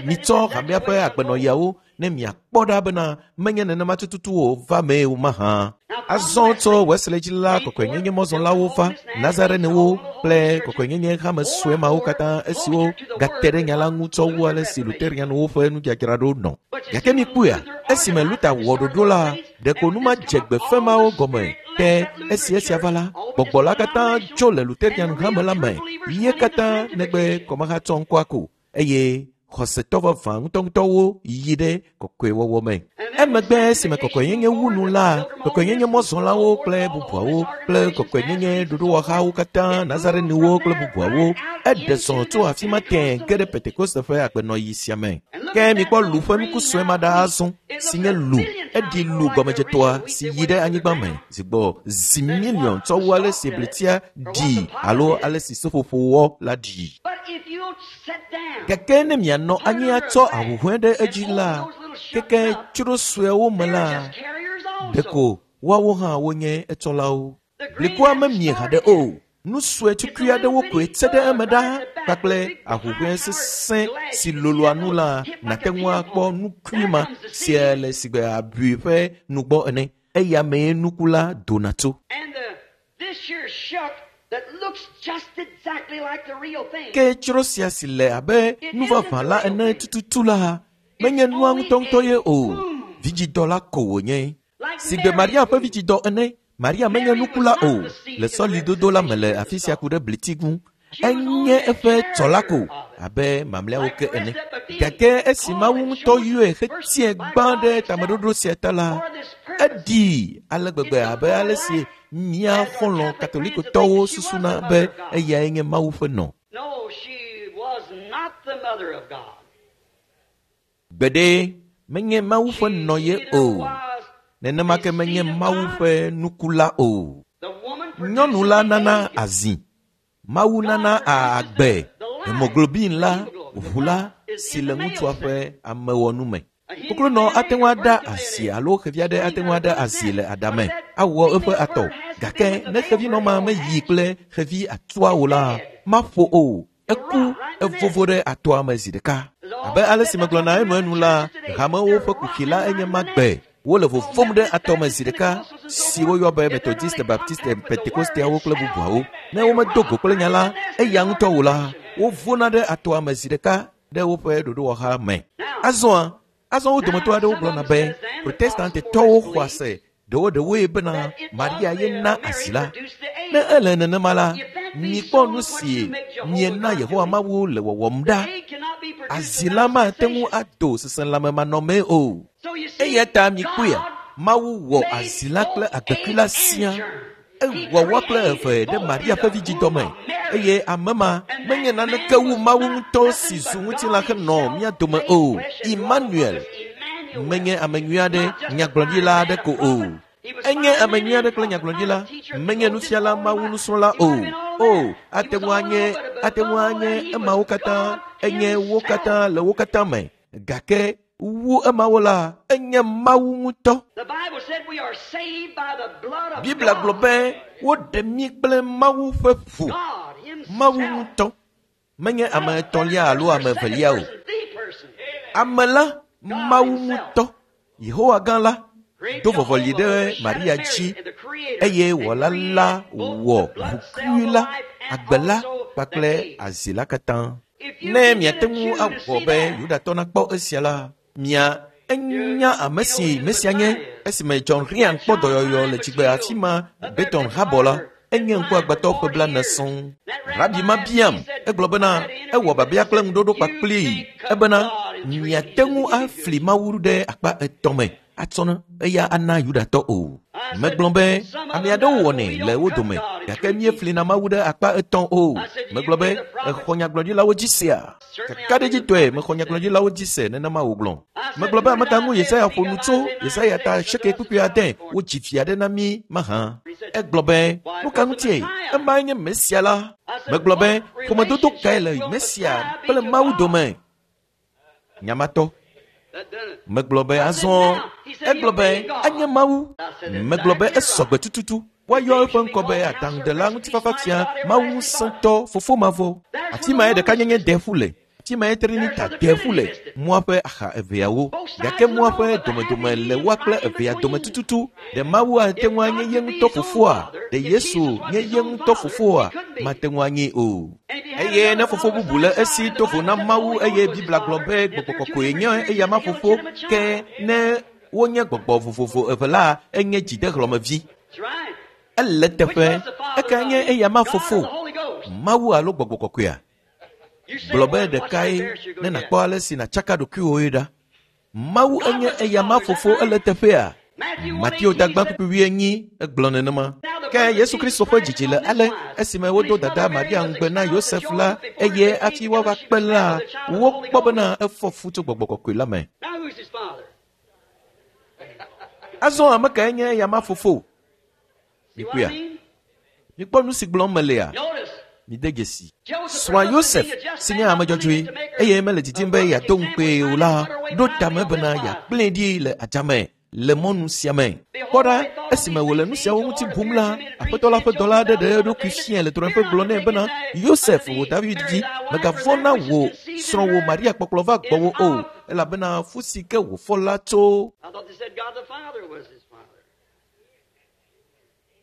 mitsɔ hamea ƒe agbenɔɣiawo ne miakpɔ ɖa bena menye nenema tututu o va mee o mahã. Azɔ tso Wesley dzi la, kɔkɔenyenye mɔzɔlawo va, Nazarenewo kple kɔkɔenyenye hame sue mawo katã esiwo gate ɖe nya la ŋu tsɔ wu ale si Luterianwo ƒe nudzadzraɖo nɔ. Gake mikpɔea, esime Luther wɔ ɖoɖo la, ɖeko nu ma dze gbe fẽ mawo gɔme. Ke esi esia va la, gbɔgbɔ la katã tso le Luterian hame la me, ye katã negbe kɔmahatsɔ ŋkɔa ko eye xɔsetɔ vavã ŋutɔŋutɔwo yi ɖe kɔkɔewɔwɔ me. Emegbe esime kɔkɔenyenye wu nu la, kɔkɔenyenye mɔzɔlawo kple bubuawo kple kɔkɔenyenye ɖoɖowɔhawo katã, Nazarenewo kple bubuawo, eɖe zɔ tso afi ma tẽe ge ɖe Pentekoste ƒe agbenɔɣi sia me. Ke mikpɔ lu ƒe nuku sue ma ɖa azɔ, si nye lu. Eɖi lu gɔmedzetɔa si yi ɖe anyigba me zi gbɔ zi miliɔn tsɔ wu ale si blitia ɖi alo ale si seƒoƒowɔ la ɖi. Gake ne mianɔ anyi atsɔ ahuhɔ̃e ɖe edzi la, keke tsro suewo me la, ɖeko woawo hã wonye etsɔlawo. Blikua memie haɖe o. Nu sue tukui aɖewo koe tse ɖe eme ɖaa kpakple ahuhɔ̃e sesẽ si loloa nu la, nàte ŋu akpɔ nukui ma si le sigbe abui ƒe nugbɔ ene. Eya mee nuku la dona tso. Ke tsro sia si le abe nu vavã la ene tututu la, menye nua ŋutɔŋutɔ ye o. Vidzidɔ la ko wònye. Si gbe Maria ƒe vidzidɔ ene, Maria menye nukula o. Le sɔlidodo la me le afi sia ku ɖe bliti ŋu. Enye eƒe tsɔla ko abe mamlɛawo ke ene. Gake esi Mawu ŋutɔ yɔe hetie gbã ɖe tameɖoɖo sia ta la, eɖii ale gbegbe abe ale si mía xɔlɔ̃ katolikotɔwo susuna be eyae nye Mawu ƒe nɔ. No, she was not the mother of God. Gbeɖe menye Mawu ƒe She nɔ ye neither o. was Nenema ke menye Mawu ƒe nukula o. the woman Nyɔnu la producing the nana egg. azi. Mawu nana agbe hemoglobin la, ʋu la si le ŋutsua ƒe amewɔnu me. Koklonɔ ate ŋu aɖa azi alo xevi aɖe ate ŋu aɖa azi le aɖame awɔ eƒe atɔ. Gake ne xevinɔ ma meyi kple xevi atua o la, maƒo o. Eku evovo ɖe atɔa me zi ɖeka. Abe ale si megblɔna enuenu la, hamewo ƒe kuxi la enye ma gbe. Wole vovom ɖe atɔ me zi ɖeka si woyɔ be Methodiste, Baptiste, Pentekosteawo kple bubuawo. Ne womedo go kple nya la, eya ŋutɔ o la, wovona ɖe atɔa me zi ɖeka ɖe woƒe ɖoɖowɔha me. Azɔa, azɔ wo dometɔ aɖewo gblɔna be Protestantetɔwo xɔa se ɖewoɖewoe bena Maria ye na asi la. Ne ele nenema la, mikpɔ nu si miena Yehowa Mawu le wɔwɔm ɖa. Egg cannot be produced Azi la without mate ŋu sensation. ado seselãmemanɔmee o. So you see, Eya ta mikpɔea, God Mawu wɔ made azi la kple both agbekui egg la and siaa. germ. He Ewɔ woa kple created eve ɖe both Maria in ƒe the vidzidɔ womb me of Mary. eye ame ma And menye that naneke man wu was Mawu not ŋutɔ si nothing zu but ŋutilã God henɔ himself mía dome made o. flesh and dwelt among Emmanuel us, Emmanuel. menye ame nyui aɖe, Not just a nyagblɔɖila fine aɖe man, a ko o. prophet. He was Enye fine ame man nyui aɖe and kple prophet, not a nyagblɔɖila, teacher, menye coach, nufiala all Mawu that. nusrɔ̃la He o. might have been all O, that. He ate was ŋu all anye, over, but ate above ŋu all anye that, he emawo was katã, God enye wo himself. katã le wo katã me. Gake wu emawo la, enye Mawu ŋutɔ. The Bible said we are saved by the blood of Biblia gblɔ God. be woɖe mí kple Mawu ƒe ʋu. God Mawu himself. ŋutɔ. Menye Not ame a third etɔ̃lia alo person or ame second evelia o. person, the person. Ame la, God Mawu himself. ŋutɔ, Yehowa gã la, Great do vɔvɔli Jehovah ɖe overshadowed Maria Mary, dzi the creator, eye and wɔla la created both wɔ the blood cell, ʋukui the la, life, and agbe la also the kpakple egg. azi la katã. If you Ne can get miate a ŋu Jew to awɔ see be that, Yudatɔ nakpɔ esia la, mia you, enya ame you know si who the Mesia nye Messiah is. esime John Ryan That kpɔ child dɔyɔyɔ blind le was tsigbe afi healed ma up there Beton at habɔ la, Harvard, been enye blind for ŋkuagbãtɔ ƒe 40 blaene years. sɔŋ. That Rabi rabbi ma asked, he biam, said, egblɔ I bena had an interview ewɔ with him. babia He kple said, ŋuɖoɖo You kpakplii can't cut ebena God in three miate pieces ŋu and give it to afli us. Mawu ɖe akpa etɔ̃ me atsɔ ne eya ana Yudatɔ o. I said, Megblɔ be some of ame them aɖewo does, but wɔnɛ we le don't wo cut dome God in gake three pieces. míeflina Mawu ɖe akpa etɔ̃ o. I said, do you Megblɔ be believe the prophets? exɔ nyagblɔɖilawo dzi sea? Certainly I believe the Kakaɖedzitɔe prophets, mexɔ he said. nyagblɔɖilawo dzi se nenema wògblɔ. I said, Megblɔ be who ame did ka ŋu Isaiah Yesaya speak ƒo of? nu tso Isaiah 9 Yesaya ta 6, unto seke us a kpukpui child ade is born. wodzi fia ɖe na mí mahã. He said, Egblɔ be why, nu it ka was the ŋutie? Messiah. Emae nye Mesia la. I said, Megblɔ be what ƒomedodo kae relationship le will Mesia Messiah be kple to Mawu God? dome? Nyamatɔ. That done it. Megblɔ be I said, azɔ now. He said, egblɔ he'll be be God. enye Mawu. I said, Megblɔ be exactly esɔgbe right. tututu. The Woayɔ name eƒe should be ŋkɔ be called Counselor, Adaŋudela, Prince of Peace, Mighty Ŋutifafafia, God, Mawu Everlasting Father. ŋusẽtɔ, Fofo mavɔ. There's Afi where mae the ɖeka oneness nyenye is. de ƒu le. Afi mae There's Trinita where the de ƒu Trinity le. listed. Mɔa ƒe axa eveawo. Both sides Gake of the mɔa road, ƒe but the happy domedome le medium woa kple right in evea dome between. tututu. Ɖe Mawu ate If ŋu anye God ye could be ŋutɔ his own fofoa? father, Ɖe if Yesu Jesus was nye his ye own ŋutɔ father, he fofoa? couldn't be. Mate ŋu anyee o. And if he had Eye ne another fofo father bubu le besides esi God, and the to vo Bible na said the Mawu Holy eye Ghost was his Biblia gblɔ father, be and if gbɔgbɔ they're two kɔkɔe different nye spirits, eya ma it's the fofo illegitimate ke child. ne wonye gbɔgbɔ vovovo eve la enye dzidehlɔ̃mevi. That's right. Ele Which teƒe was the father ekae of nye eya ma God or fofo the Holy Ghost? Mawu alo gbɔgbɔ kɔkɔea? You say Gblɔ be one, watch how ɖekae embarrassed you're ne going to get. nàkpɔ ale si nàtsaka ɖokuiwòe ɖa. Mawu God enye was the eya ma father, is that fofo right? ele teƒea? Matthew Mateo 1:18, he tagba said, kpukpui wuienyi egblɔ nenema. Now the Ke birth of Yesu Jesus Kristo ƒe Christ dzidzi is le on this ale wise. esime When wodo his mother dada Mary Maria was ŋugbe na espoused to Yosef la Joseph before eye they came hafi together, woava she kpe was la, found with a child of the Holy wokpɔ Ghost. bena efɔ fu tso gbɔgbɔ kɔkɔe la me. Now who's his father? Azɔ ame kae nye eya ma fofo? See what I Mikpɔea? mean? Mikpɔ nu si gblɔm melea? Notice, Mide dzesi. Joseph, Srɔ̃a her husband, Yosef being a just si man, nye ame not willing dzɔdzɔe to make her eye mele a didim be public yeado example, ŋukpee o was la trying to put her away ɖo tame privately on bena this wise. yeagblẽe ɖi le adzame le mɔnu sia me. Kpɔ Behold, ɖa they thought on esime these wòle things, nu the siawo angel ŋuti Lord bum appeared la, to him in a dream, Aƒetɔ la saying, ƒe dɔla Joseph, aɖe thou ɖe son of eɖokui David, fiae le fear drɔ̃eƒe not gblɔ to nɛ take bena unto Yosef thee wò David Mary vi thy wife, for megavɔ̃ that na which is wò conceived in srɔ̃wò her Maria kpɔkplɔ va is gbɔwò o of. elabena fu si ke wòfɔ la tso. I thought they said God the Father was his father.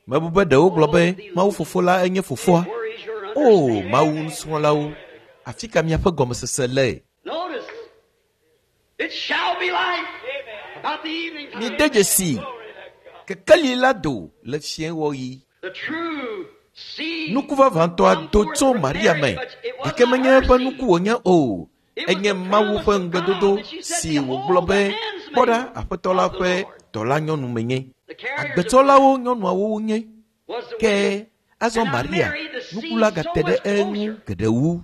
Mebu be ɖewo gblɔ Oh, be Mawu fofo la enye fofoa. where is your O understanding? Mawu nusrɔ̃lawo, afi ka miaƒe gɔmesese le? Notice, it shall be light. About the evening time. Mide dzesi kekeli la do le fiẽwɔɣi. The true seed Nuku vavãtɔa do tso Maria me gake menye eƒe nuku wònye o. Enye Mawu ƒe ŋugbedodo si wògblɔ be kpɔ ɖa aƒetɔ la ƒe dɔlanyɔnu menye. Agbetsɔlawo nyɔnuawo nye. was the Ke azɔ Maria nuku la gate ɖe eŋu geɖe wu.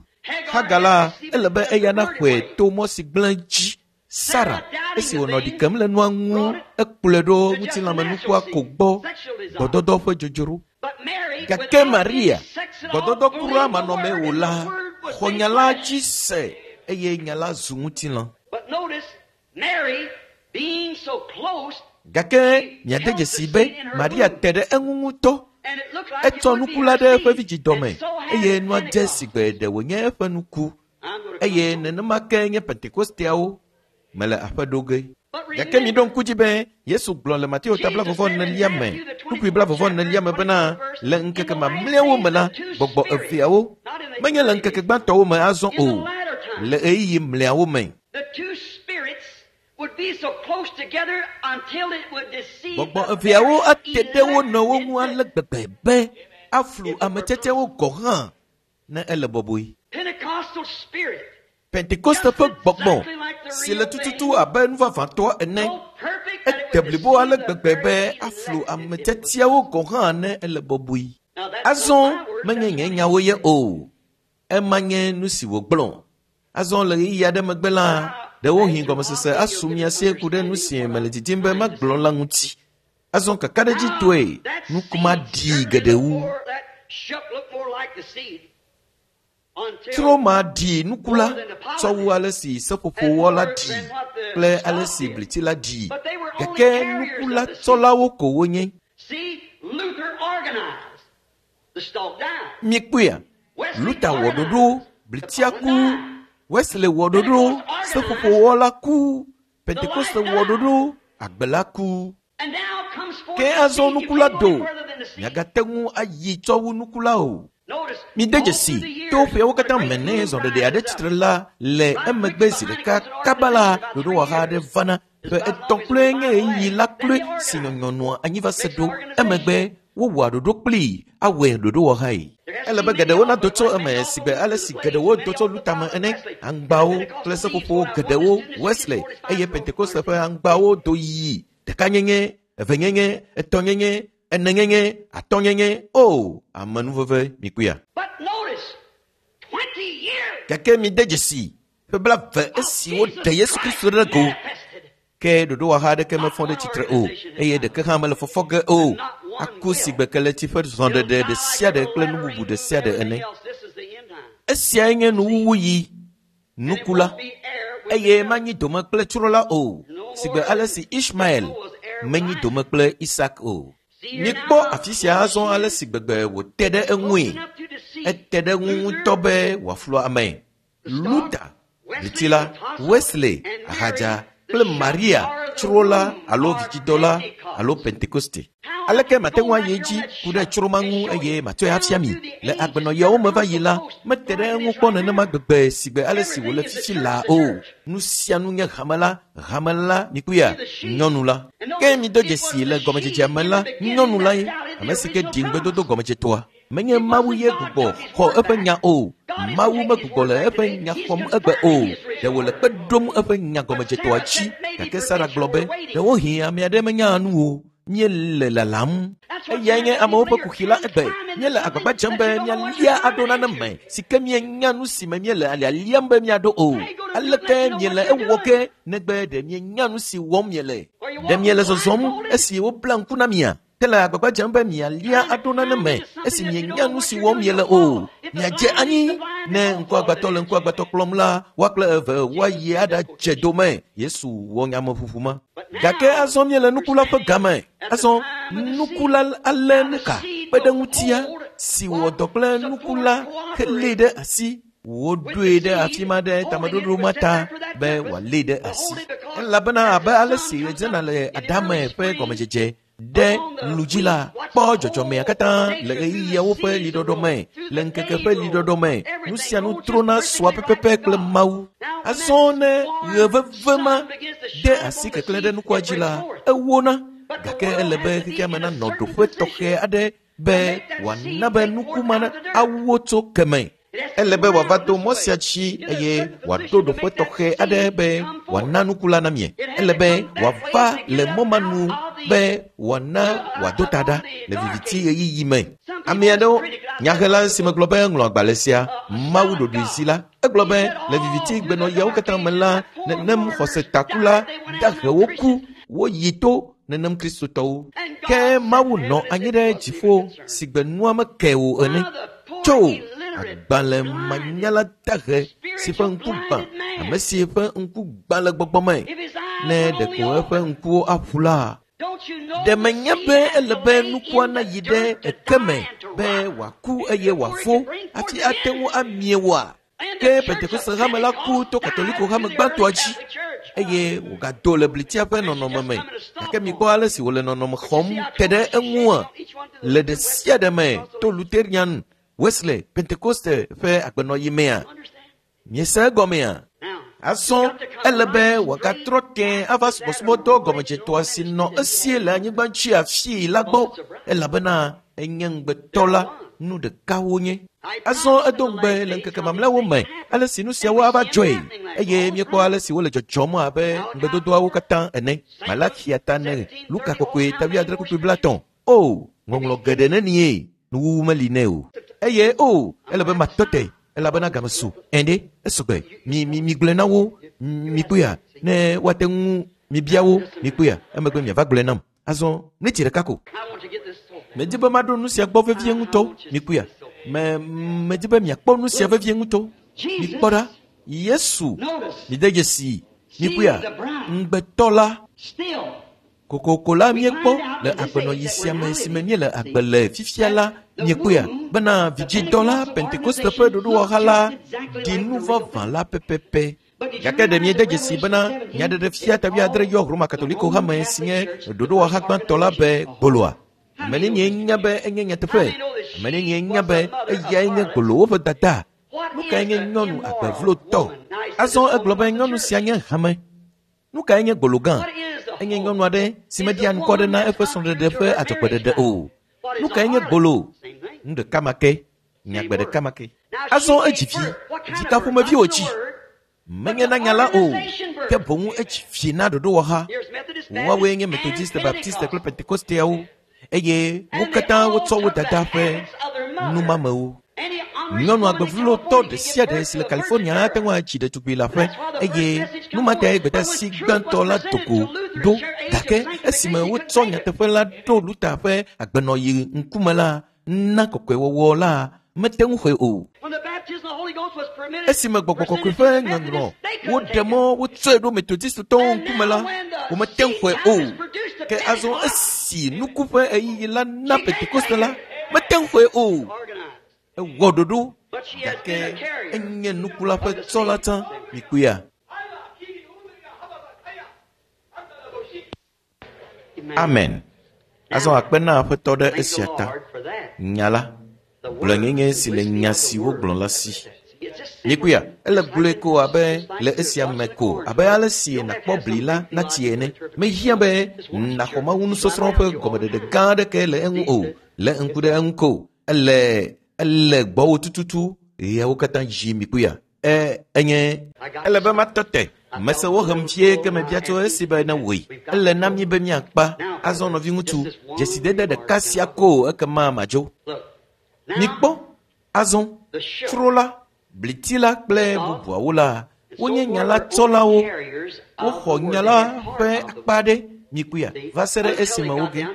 Hagar la ele be eya naxɔe to mɔ si gblẽ dzi. Sara esi wònɔ ɖi kem le nua ŋu ekplɔe ɖo ŋutilãmenukua ko gbɔ gbɔdɔdɔ ƒe dzodzro. But Mary, Gake without Maria any sex at all, gbɔdɔdɔ kura believed the manɔmee word, o and la the word was xɔ made nya la flesh. dzi se eye nya la zu ŋutilã. But notice, Mary, being so close, Gake miade dzesi be Maria te ɖe eŋu ŋutɔ. and it looked like it Etsɔ would be nuku la her ɖe eƒe seed, vidzidɔme and so had eye nua dze Pentecost. si gbe ɖe wònye eƒe nuku. I'm gonna come Eye home. nenema ke nye Pentekosteawo mele aƒe ɖo ge. But Gake remember, miɖo ŋku dzi be Yesu gblɔ le Mateo ta blavɔvɔ enelia me, kpukpui blavɔvɔ enelia me bena le ŋkeke mamlɛawo me la, gbɔgbɔ eveawo menye le ŋkeke gbãtɔwo me azɔ in the o, latter time, le ɣeyiɣi mlɛawo me. the two spirits would be so close together until it would deceive Gbɔgbɔ the eveawo very ate ɖe wo nɔewo elect ŋu ale gbegbe be aflu ame tsɛtsɛwo gɔ̃ hã ne ele bɔbɔe. Pentecostal spirit, Pentekoste ƒe gbɔgbɔ si le tututu abe nu vavãtɔ ene so perfect that it ete would blibo ale deceive the gbegbe very be aflu elect ame if it would. tsɛtsɛawo gɔ̃ hã ne ele bɔbɔe. Now that's not Azɔ my words, menye that's nye what he nyawo ye said. o. Ema nye nu si wògblɔ. Azɔ le ɣeyiɣi aɖe megbe la, ɖewohĩ gɔmesese asu mia si ku ɖe nu si mele didim be magblɔ la ŋuti. Azɔ kakaɖedzitɔe Now, that nuku ma seed ɖii germinated geɖe wu. before that shuck looked more like the seed until Tro ma ɖi nuku la more than the tsɔ wu pollen ale si seƒoƒo and wɔ la more ɖii than what the kple ale stalk si did. bliti la ɖii. But they were only Gake carriers nuku la of the seed. tsɔlawo ko wonye. See, Luther organized. The stalk died. Miekpɔea? Wesley Luther wɔ ɖoɖo, organized. The blitia pollen ku, died. Wesley wɔ ɖoɖo, Pentecost seƒoƒo organized. wɔla ku, The Pentekoste life wɔ died. ɖoɖo, agbe la ku. And now comes forth Ke the azɔ seed. You nuku la can't go any do. further than the seed. Miagate ŋu ayi tsɔ wu nuku la o. Notice, Mide all through dzesi the to years, ƒeawo when a katã great me ne move zɔɖeɖe aɖe rises up, tsitre la le right quick emegbe zi behind it ɖeka comes an kaba la organization about 3 ɖoɖowɔha aɖe years. vana. Just Ƒe about as etɔ̃ long as kloe the nye Bible ɣeyiɣi lasts. la Then kloe they si organize. nyɔnyɔ nɔa anyi va se Makes an ɖo. organization. Emegbe wowɔa ɖoɖo kplii awɔe ɖoɖowɔhae. There has to Ele be be many geɖewo of nado them, tso like eme many si also gbe ale to si the geɖewo blaze, do many tso also Luther me follow ene. Wesley. And Aŋgbawo kple Pentecostal seeds seƒoƒowo go out. One geɖewo is 10 to 60, Wesley 45 eye growth Pentekoste ƒe 100. aŋgbawo do yi ɖekanyenye, evenyenye, etɔ̃nyenye, enenyenye, atɔ̃nyenye. O, amenuveve mikpɔea. But notice, 20 years Gake mide dzesi ƒe blaeve of esi woɖe Jesus Yesu Christ Kristo ɖe go manifested. ke ɖoɖowɔha aɖeke Not mefɔ ɖe one tsitre o organization has eye done ɖeke hã mele fɔfɔ ge o. and not one Aku si will. gbe keleti ƒe It'll zɔɖeɖe die ɖe like sia ɖe every kple nu lettering bubu ɖe and sia ɖe everything ene. else. This is the end time. Esiae nye See? nuwuwuyi And it nuku la won't be heir with the eye devil. manyi dome kple tsro la o. No Si more gbe ale si Ismael so was heir with menyi dome Isaac. kple Isak o. See here Mikpɔ now afi sia how azɔ close she ale is. si gbegbe wòte ɖe Close eŋui. enough to deceive Ete ɖe eŋu Luther, ŋutɔ be wòaflu ame. the stalk, Luther, Wesley, bliti the la, apostle, Wesley, and Mary, ahadza the kple shuck, Maria, or the tsro la womb, alo or vidzidɔ la alo Pentecost. Pentekoste. How I Aleke could mate go ŋu right ayi here on edzi that ku ɖe shuck tsro ma and ŋu show eye you matsɔe down afia mi. through the Le ages, agbenɔɣiawo me never va come yi so la, close mete ɖe like it eŋu is kpɔ right nenema now. gbegbe si gbe ale si wòle Everything is the fifi church, laa the o. church. Nu sia nu nye hame la, hame la, mikpɔea, See the sheep. nyɔnu la. And Ke notice, mido it was dzesi the le sheep gɔmedzedzea me in la, the beginning nyɔnu la that ye, doubted the ame si ke original ɖi ŋugbedodo promise. gɔmedzetɔa. Menye It Mawu wasn't ye God gbugbɔ took his xɔ word eƒe back. nya o. God isn't Mawu taking his megbugbɔ word le back eƒe today. nya He's xɔm egbe o. confirming his Ɖe original wòle word. kpe ɖom eƒe nya But gɔmedzetɔa Sarah dzi. said maybe Gake Sara peradventure gblɔ be, we're waiting. ɖewohĩ ame aɖe menya nu o. Míele lalam. That's what's Eyae nye happening amewo ƒe today. You're kuxi la trying to egbe. climb into Míele something agbagba dzem that be you don't know what míalia you're aɖo climbing nane into. me si ke míenya nu si me míele alialiam be míaɖo o. How you gonna do it Aleke unless you know miele what you're ewɔ doing? ke negbe ɖe mienya nu si wɔm miele? Are you Ɖe walking miele zɔzɔm blindfolded? esi wobla ŋku na mia? Ke le agbagba dzem be mialia Trying to aɖo nane climb me into esi something that you mienya don't know nu what si you're wɔm doing, miele you'll o. fall. If the Miadze blind leads anyi the blind, they ne both fall into ŋkuagbãtɔ the le ditch. ŋkuagbãtɔ kplɔm la, woa kple eve woayi Jesus made that aɖadze quotation. dome. Yesu wɔ nyameʋuʋu ma. But Gake now azɔ míele we're nuku la ƒe standing game. at the Azɔ time of the nuku seed. la alé Now the nuka seed kpe ɖe will ŋutia hold si wɔ what dɔ kple nuku support la helée cooperate ɖe asi. with Woɖoe the ɖe afi seed, ma ɖe holding it tameɖoɖo ma was set ta there for that be purpose, wòalée ɖe to asi. hold it because Elabena as abe the ale sun si comes ɣedzena up le in the adame early ƒe spring, gɔmedzedze Ɖe lu dzi la, kpɔ dzɔdzɔmea katã le ɣeyiɣiawo ƒe liɖɔɖɔ me, le ŋkeke ƒe liɖɔɖɔ me, nu sia nu trona sua pɛpɛpɛ kple Mawu. Azɔ ne ɣe veve ma de asi keklẽ ɖe nukua dzi la, ewona, gake ele be xexea me nanɔ ɖoƒe tɔxɛ aɖe be wòana be nuku ma awu tso keme. Ele be wòava do mɔ sia dzi eye wòaɖo ɖoƒe tɔxɛ aɖe be wòana nuku la na mie. Ele be wòava le mɔ ma nu be wòana wòado ta ɖa le viviti ɣeyiɣi me. Ame aɖewo, nyahela si megblɔ be ŋlɔ agbalẽ sia, Mawu ɖoɖoe zi la, egblɔ be le viviti gbenɔɣiawo katã me la, nenem xɔsetakula dahewo ku, woyi to nenem kristotɔwo. Ke Mawu nɔ anyi ɖe dziƒo si gbe nua meke o ene. Tso agbalẽ manyala dahe si ƒe ŋku gbã, ame si ƒe ŋku gbã le gbɔgbɔ me, ne ɖeko eƒe ŋkuwo aƒu la, ɖe menye be ele be nukua nayi ɖe eke me be wòaku eye wòafo hafi ate ŋu amie oa? Ke Pentekoste hame la ku to Katoliko hame gbãtɔa dzi eye wògado le blitia ƒe nɔnɔme me. Gake mikpɔ ale si wòle nɔnɔme xɔm te ɖe eŋua le ɖe sia ɖe me to Lutherian, Wesley, Pentekoste ƒe agbenɔɣi mea. Miese egɔmea? Azɔ ele be wòagatrɔ tẽ ava subɔsubɔdɔ gɔmedzetɔa si nɔ esie le anyigba dzi afii la gbɔ, elabena enye ŋugbetɔ la, nu ɖeka wonye. Azɔ edo ŋugbe le ŋkeke mamlɛawo me ale si nu siawo ava dzɔe, eye míekpɔ ale si wole dzɔdzɔm abe ŋugbedodoawo katã ene. Malaxia ta ne Luka kɔkɔe ta wuiadre kpukpui blaetɔ̃. O, ŋɔŋlɔ geɖe nenie, nuwuwu meli nɛ o. Eye o, ele be matɔ te, elabena game su. Ɛ̃ ɖe, esɔgbe. Mi mi migblɔe na wo, mikpɔea, ne woate ŋu mibia wo, mikpɔea, emegbe miava gblɔe nam. Azɔ, miniti ɖeka ko. Medi be maɖo nu sia gbɔ vevie ŋutɔ, mikpɔea. Me medi be miakpɔ nu sia vevie ŋutɔ. Mikpɔ ɖa, Yesu, mide dzesi, mikpɔea, ŋugbetɔ la. Kokoko la míekpɔ le agbenɔɣi sia me si me míele agbe le fifia la, miekpɔea, bena vidzidɔ la, Pentekoste ƒe ɖoɖowɔha la ɖi nu vavã la pɛpɛpɛ. Gake ɖe miede dzesi bena nyaɖeɖefia ta wuiadre yɔ Roma Katoliko hame si nye ɖoɖowɔha gbãtɔ la be gboloa? Ame nenie nya be enye nyateƒe? Ame nenie nya be eyae nye gbolowo ƒe dada? Nu kae nye nyɔnu agbevlotɔ? Azɔ egblɔ be nyɔnu sia nye hame. Nu kae nye gbolo gã? Enye nyɔnu aɖe si media ŋkɔ ɖe na eƒe srɔ̃ɖeɖe ƒe adzɔgbeɖeɖe o. Nu kae nye gbolo? Nu ɖeka ma ke, nyagbe ɖeka ma ke. Azɔ edzi vi, vi ka ƒomevi wòdzi? Menye na nya la o, ke boŋ edzi vi na ɖoɖowɔha. Woawoe nye Methodiste, Baptiste kple Pentekosteawo, eye wo katã wotsɔ wo dada ƒe numamewo. Nyɔnu agbevlotɔ ɖe sia ɖe si le California ate ŋu atsi ɖetugbui le aƒe, eye nu ma tae gbedeasi gbãtɔ la do go ɖo. Gake esime wotsɔ nyateƒe la ɖo Luther ƒe agbenɔɣi ŋkume la, na kɔkɔewɔwɔ la mete ŋu xɔe o. Esime gbɔgbɔ kɔkɔe ƒe nyɔnyrɔ woɖe mɔ wotsɔe ɖo Methodistotɔwo ŋkume la, womete ŋu xɔe o. Ke azɔ esi nuku ƒe ɣeyiɣi la na Pentekoste la, mete ŋu xɔe o. Ewɔ ɖoɖo, gake enye nuku la ƒe tsɔ la tsã. Mikpɔea? Amen. Azɔ akpe na Aƒetɔ ɖe esia ta. Nya la, gblɔenyenye si le nya si wogblɔ la si. Mikpɔea? Ele gblɔe ko abe le esia me ko, abe ale si nàkpɔ bli la natsi ene. Mehiã be nàxɔ Mawu nusɔsrɔ̃ ƒe gɔmeɖeɖe gã aɖeke le eŋu o. Lé ŋku ɖe eŋu ko. Ele ele gbɔwò tututu ɣeawo katã dzi mikpɔea? Enye ele be matɔ te. Mese wohem vie ke mebia tso esi be ne wòe. Ele na mí be míakpa. Azɔ nɔviŋutsu, dzesidede ɖeka sia ko ekema madzo. Mikpɔ, azɔ, tsro la, bliti la kple bubuawo la, wonye nya la tsɔlawo. Woxɔ nya la ƒe akpa aɖe, mikpɔea, va se ɖe esime woge.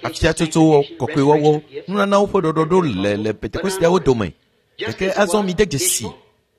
Afiatsotso, kɔkɔewɔwɔ, nunanawo ƒe ɖɔɖɔɖo le le Pentekosteawo dome. Gake azɔ mide dzesi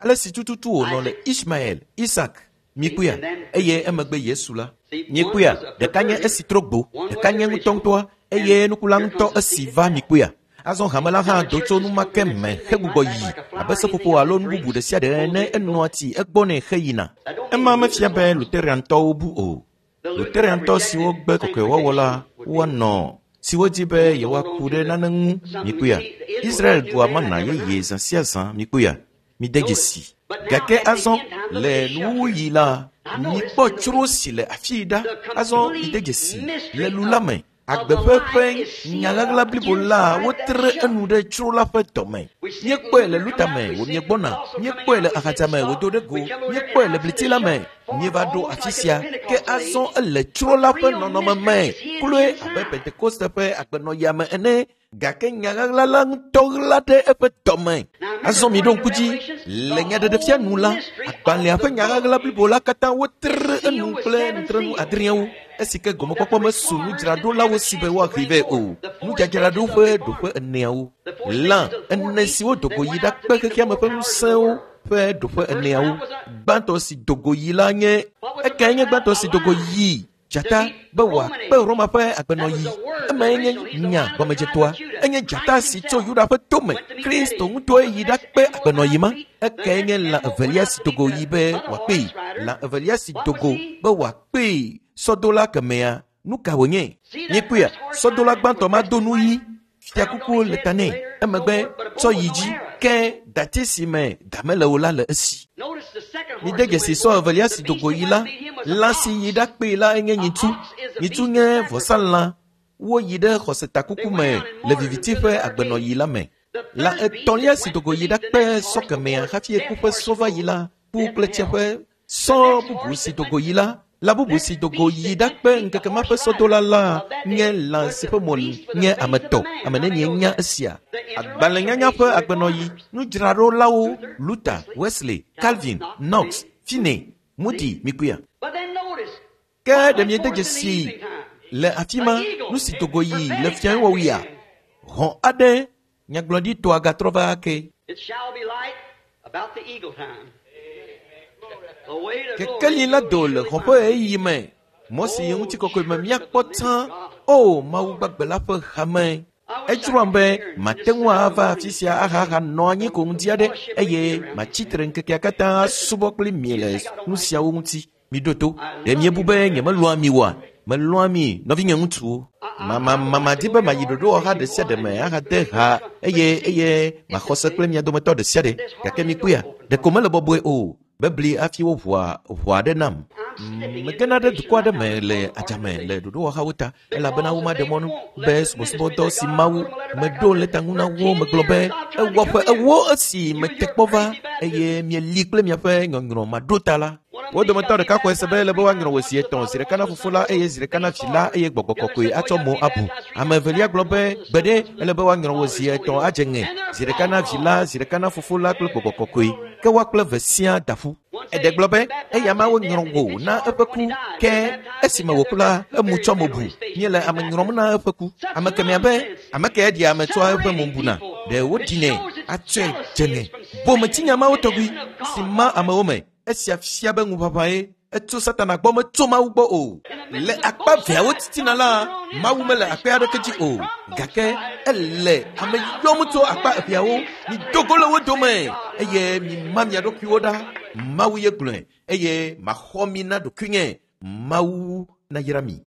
ale si tututu wònɔ le Ismael, Isak, mikpɔea, eye emegbe Yesu la. Mikpɔea, ɖeka nye esi trɔ gbo, ɖeka nye ŋutɔŋutɔa, eye nukula ŋutɔ esi va mikpɔea. Azɔ hame la hã do tso nu ma ke me hegbugbɔ yi abe seƒoƒo alo nu bubu ɖe sia ɖe ene, enɔa tsi egbɔnɛ heyina. Ema mefia be Lutheriantɔwo bu o. Lutheriantɔ siwo gbe kɔkɔewɔwɔ la, Woanɔ siwo di be yewoaku ɖe nane ŋu. Mikpɔea, Israel ɖua mana yeye zã sia zã. Mikpɔea, mide dzesi. Gake azɔ le nuwuɣi la, mikpɔ tsro si le afii ɖa. Azɔ mide dzesi le lu la me. Agbe ƒe nyaɣaɣla blibo la wotre enu ɖe tsro la ƒe dɔme. Míekpɔe le luta me wòmiegbɔna, míekpɔe le axadza me wòdo ɖe go, míekpɔe le bliti la me. Míeva ɖo afi sia, ke azɔ ele tsro la ƒe nɔnɔme me, kloe abe Pentekoste ƒe agbenɔɣia me ene. Gake nyaɣaɣla la ŋutɔ ɣla ɖe eƒe dɔme. Azɔ miɖo ŋku dzi, le nyaɖeɖefia nu la, agbalẽa ƒe nyaɣaɣla blibo la katã wotre enu kple nutrenu adreawo. Esi ke gɔmekpɔkpɔ mesu nudzraɖolawo si be woaxee vɛ o. Nudzadzraɖo ƒe ɖoƒe eneawo. Lã ene siwo dogo yi ɖakpe xexeame ƒe ŋusẽwo ƒe ɖoƒe eneawo. Gbãtɔ si dogo yi la nye ekae nye gbãtɔ si dogo yi dzata be wòakpe Roma ƒe agbenɔɣi. Emae nye nya gɔmedzetɔa. Enye dzata si tso Yuda ƒe tome. Kristo ŋutɔe yi ɖakpe agbenɔɣi ma. Ekae nye lã evelia si dogo yi be wòakpee. Lã evelia si dogo be wòakpee sɔdola kemɛa. Nu ka wònye? Míekpɔea, sɔdola gbãtɔ ma do nu ɣi. Fiakuku le ta nɛ. Emegbe tsɔ yi dzi ke dati si me ga mele o la le esi. Mide dzesi sɔ evelia si dogo yi la, lã si yi ɖakpee la enye nyitsu. Nyitsu nye vɔsalã. Woyi ɖe xɔsetakuku me le viviti ƒe agbenɔɣi la me. Lã etɔ̃lia si dogo yi ɖakpe sɔ kemɛa hafi eku ƒe sɔ va yi la, ku kple tsiẽƒe sɔ bubu si dogo yi la, lã bubu si dogo yi ɖakpe ŋkeke ma ƒe sɔdola la nye lã si ƒe mo nye ame tɔ. Ame nenie nya esia? Agbalẽnyanya ƒe agbenɔɣi, nudzraɖolawo Luther, Wesley, Calvin, Knox, Finney, Moody, mikpɔea. Ke ɖe miede dzesi le afi ma nu si dogo yi le fiawɔwɔɣia? Hɔ̃ aɖe nyagblɔɖitɔa gatrɔ va ake. It shall be light about the eagle time. The way to Kekeli la do le glory xɔ ƒe ɣeyiɣi me. Mɔ si yi ŋutikɔkɔe me míakpɔ tsã. O Mawu gbagbe la ƒe hame. Edzroam be mate ŋu ava afi sia ahaha nɔ anyi ko ŋdi aɖe eye matsi tre ŋkekea katã asubɔ kpli mi le nu siawo ŋuti. Miɖo to. Ɖe miebu be nyemelɔ̃a mi oa? Melɔ̃a mi, nɔvinye ŋutsuwo. Madi be mayi ɖoɖowɔha ɖe sia ɖe me ahade ha eye eye maxɔ se kple mia dometɔ ɖe sia ɖe. Gake mikpɔea, ɖeko mele bɔbɔe o. Bebli hafi woʋua ʋɔ aɖe nam. Megena ɖe dukɔ aɖe me le adzame le ɖoɖowɔhawo ta elabena womaɖe mɔ be subɔsubɔdɔ si Mawu meɖo lɛta ŋu na wo megblɔ be ewɔ ƒe ewo esi mete kpɔ va eye mieli kple miaƒe nyɔnyrɔ maɖo ta la. Wo dometɔ ɖeka xɔe se be ele be woanyrɔ wò zi etɔ̃, zi ɖeka na fofo la eye zi ɖeka na vi la eye gbɔgbɔ kɔkɔe atsɔ mo abu. Ame evelia gblɔ be gbeɖe ele be woanyrɔ wò zi etɔ̃ adze ŋe, zi ɖeka na vi la, zi ɖeka na fofo la kple gbɔgbɔ kɔkɔe. Ke woa kple eve siaa da ƒu. Eɖe gblɔ be eya ma wonyrɔ wò na eƒe ku, ke esime wòku la, emu tsɔ mo bu. Míele ame nyrɔm na eƒe ku. Ame kemɛa be ame ke ɖia ame tsɔa eƒe mo buna. Ɖe woɖinɛ atsɔe dze ŋe. Bometsinya mawo tɔgbi si ma amewo me. Esia fia be ŋuʋaʋãe etso Satana gbɔ metso Mawu gbɔ o. Le akpa veawo titina la, Mawu mele akpa aɖeke dzi o. Gake ele ame yɔm tso akpa eveawo. Mido go le wo dome eye mima mia ɖokuiwo ɖa. Mawu ye gblɔe eye maxɔ mi na ɖokuinye. Mawu nayra mi.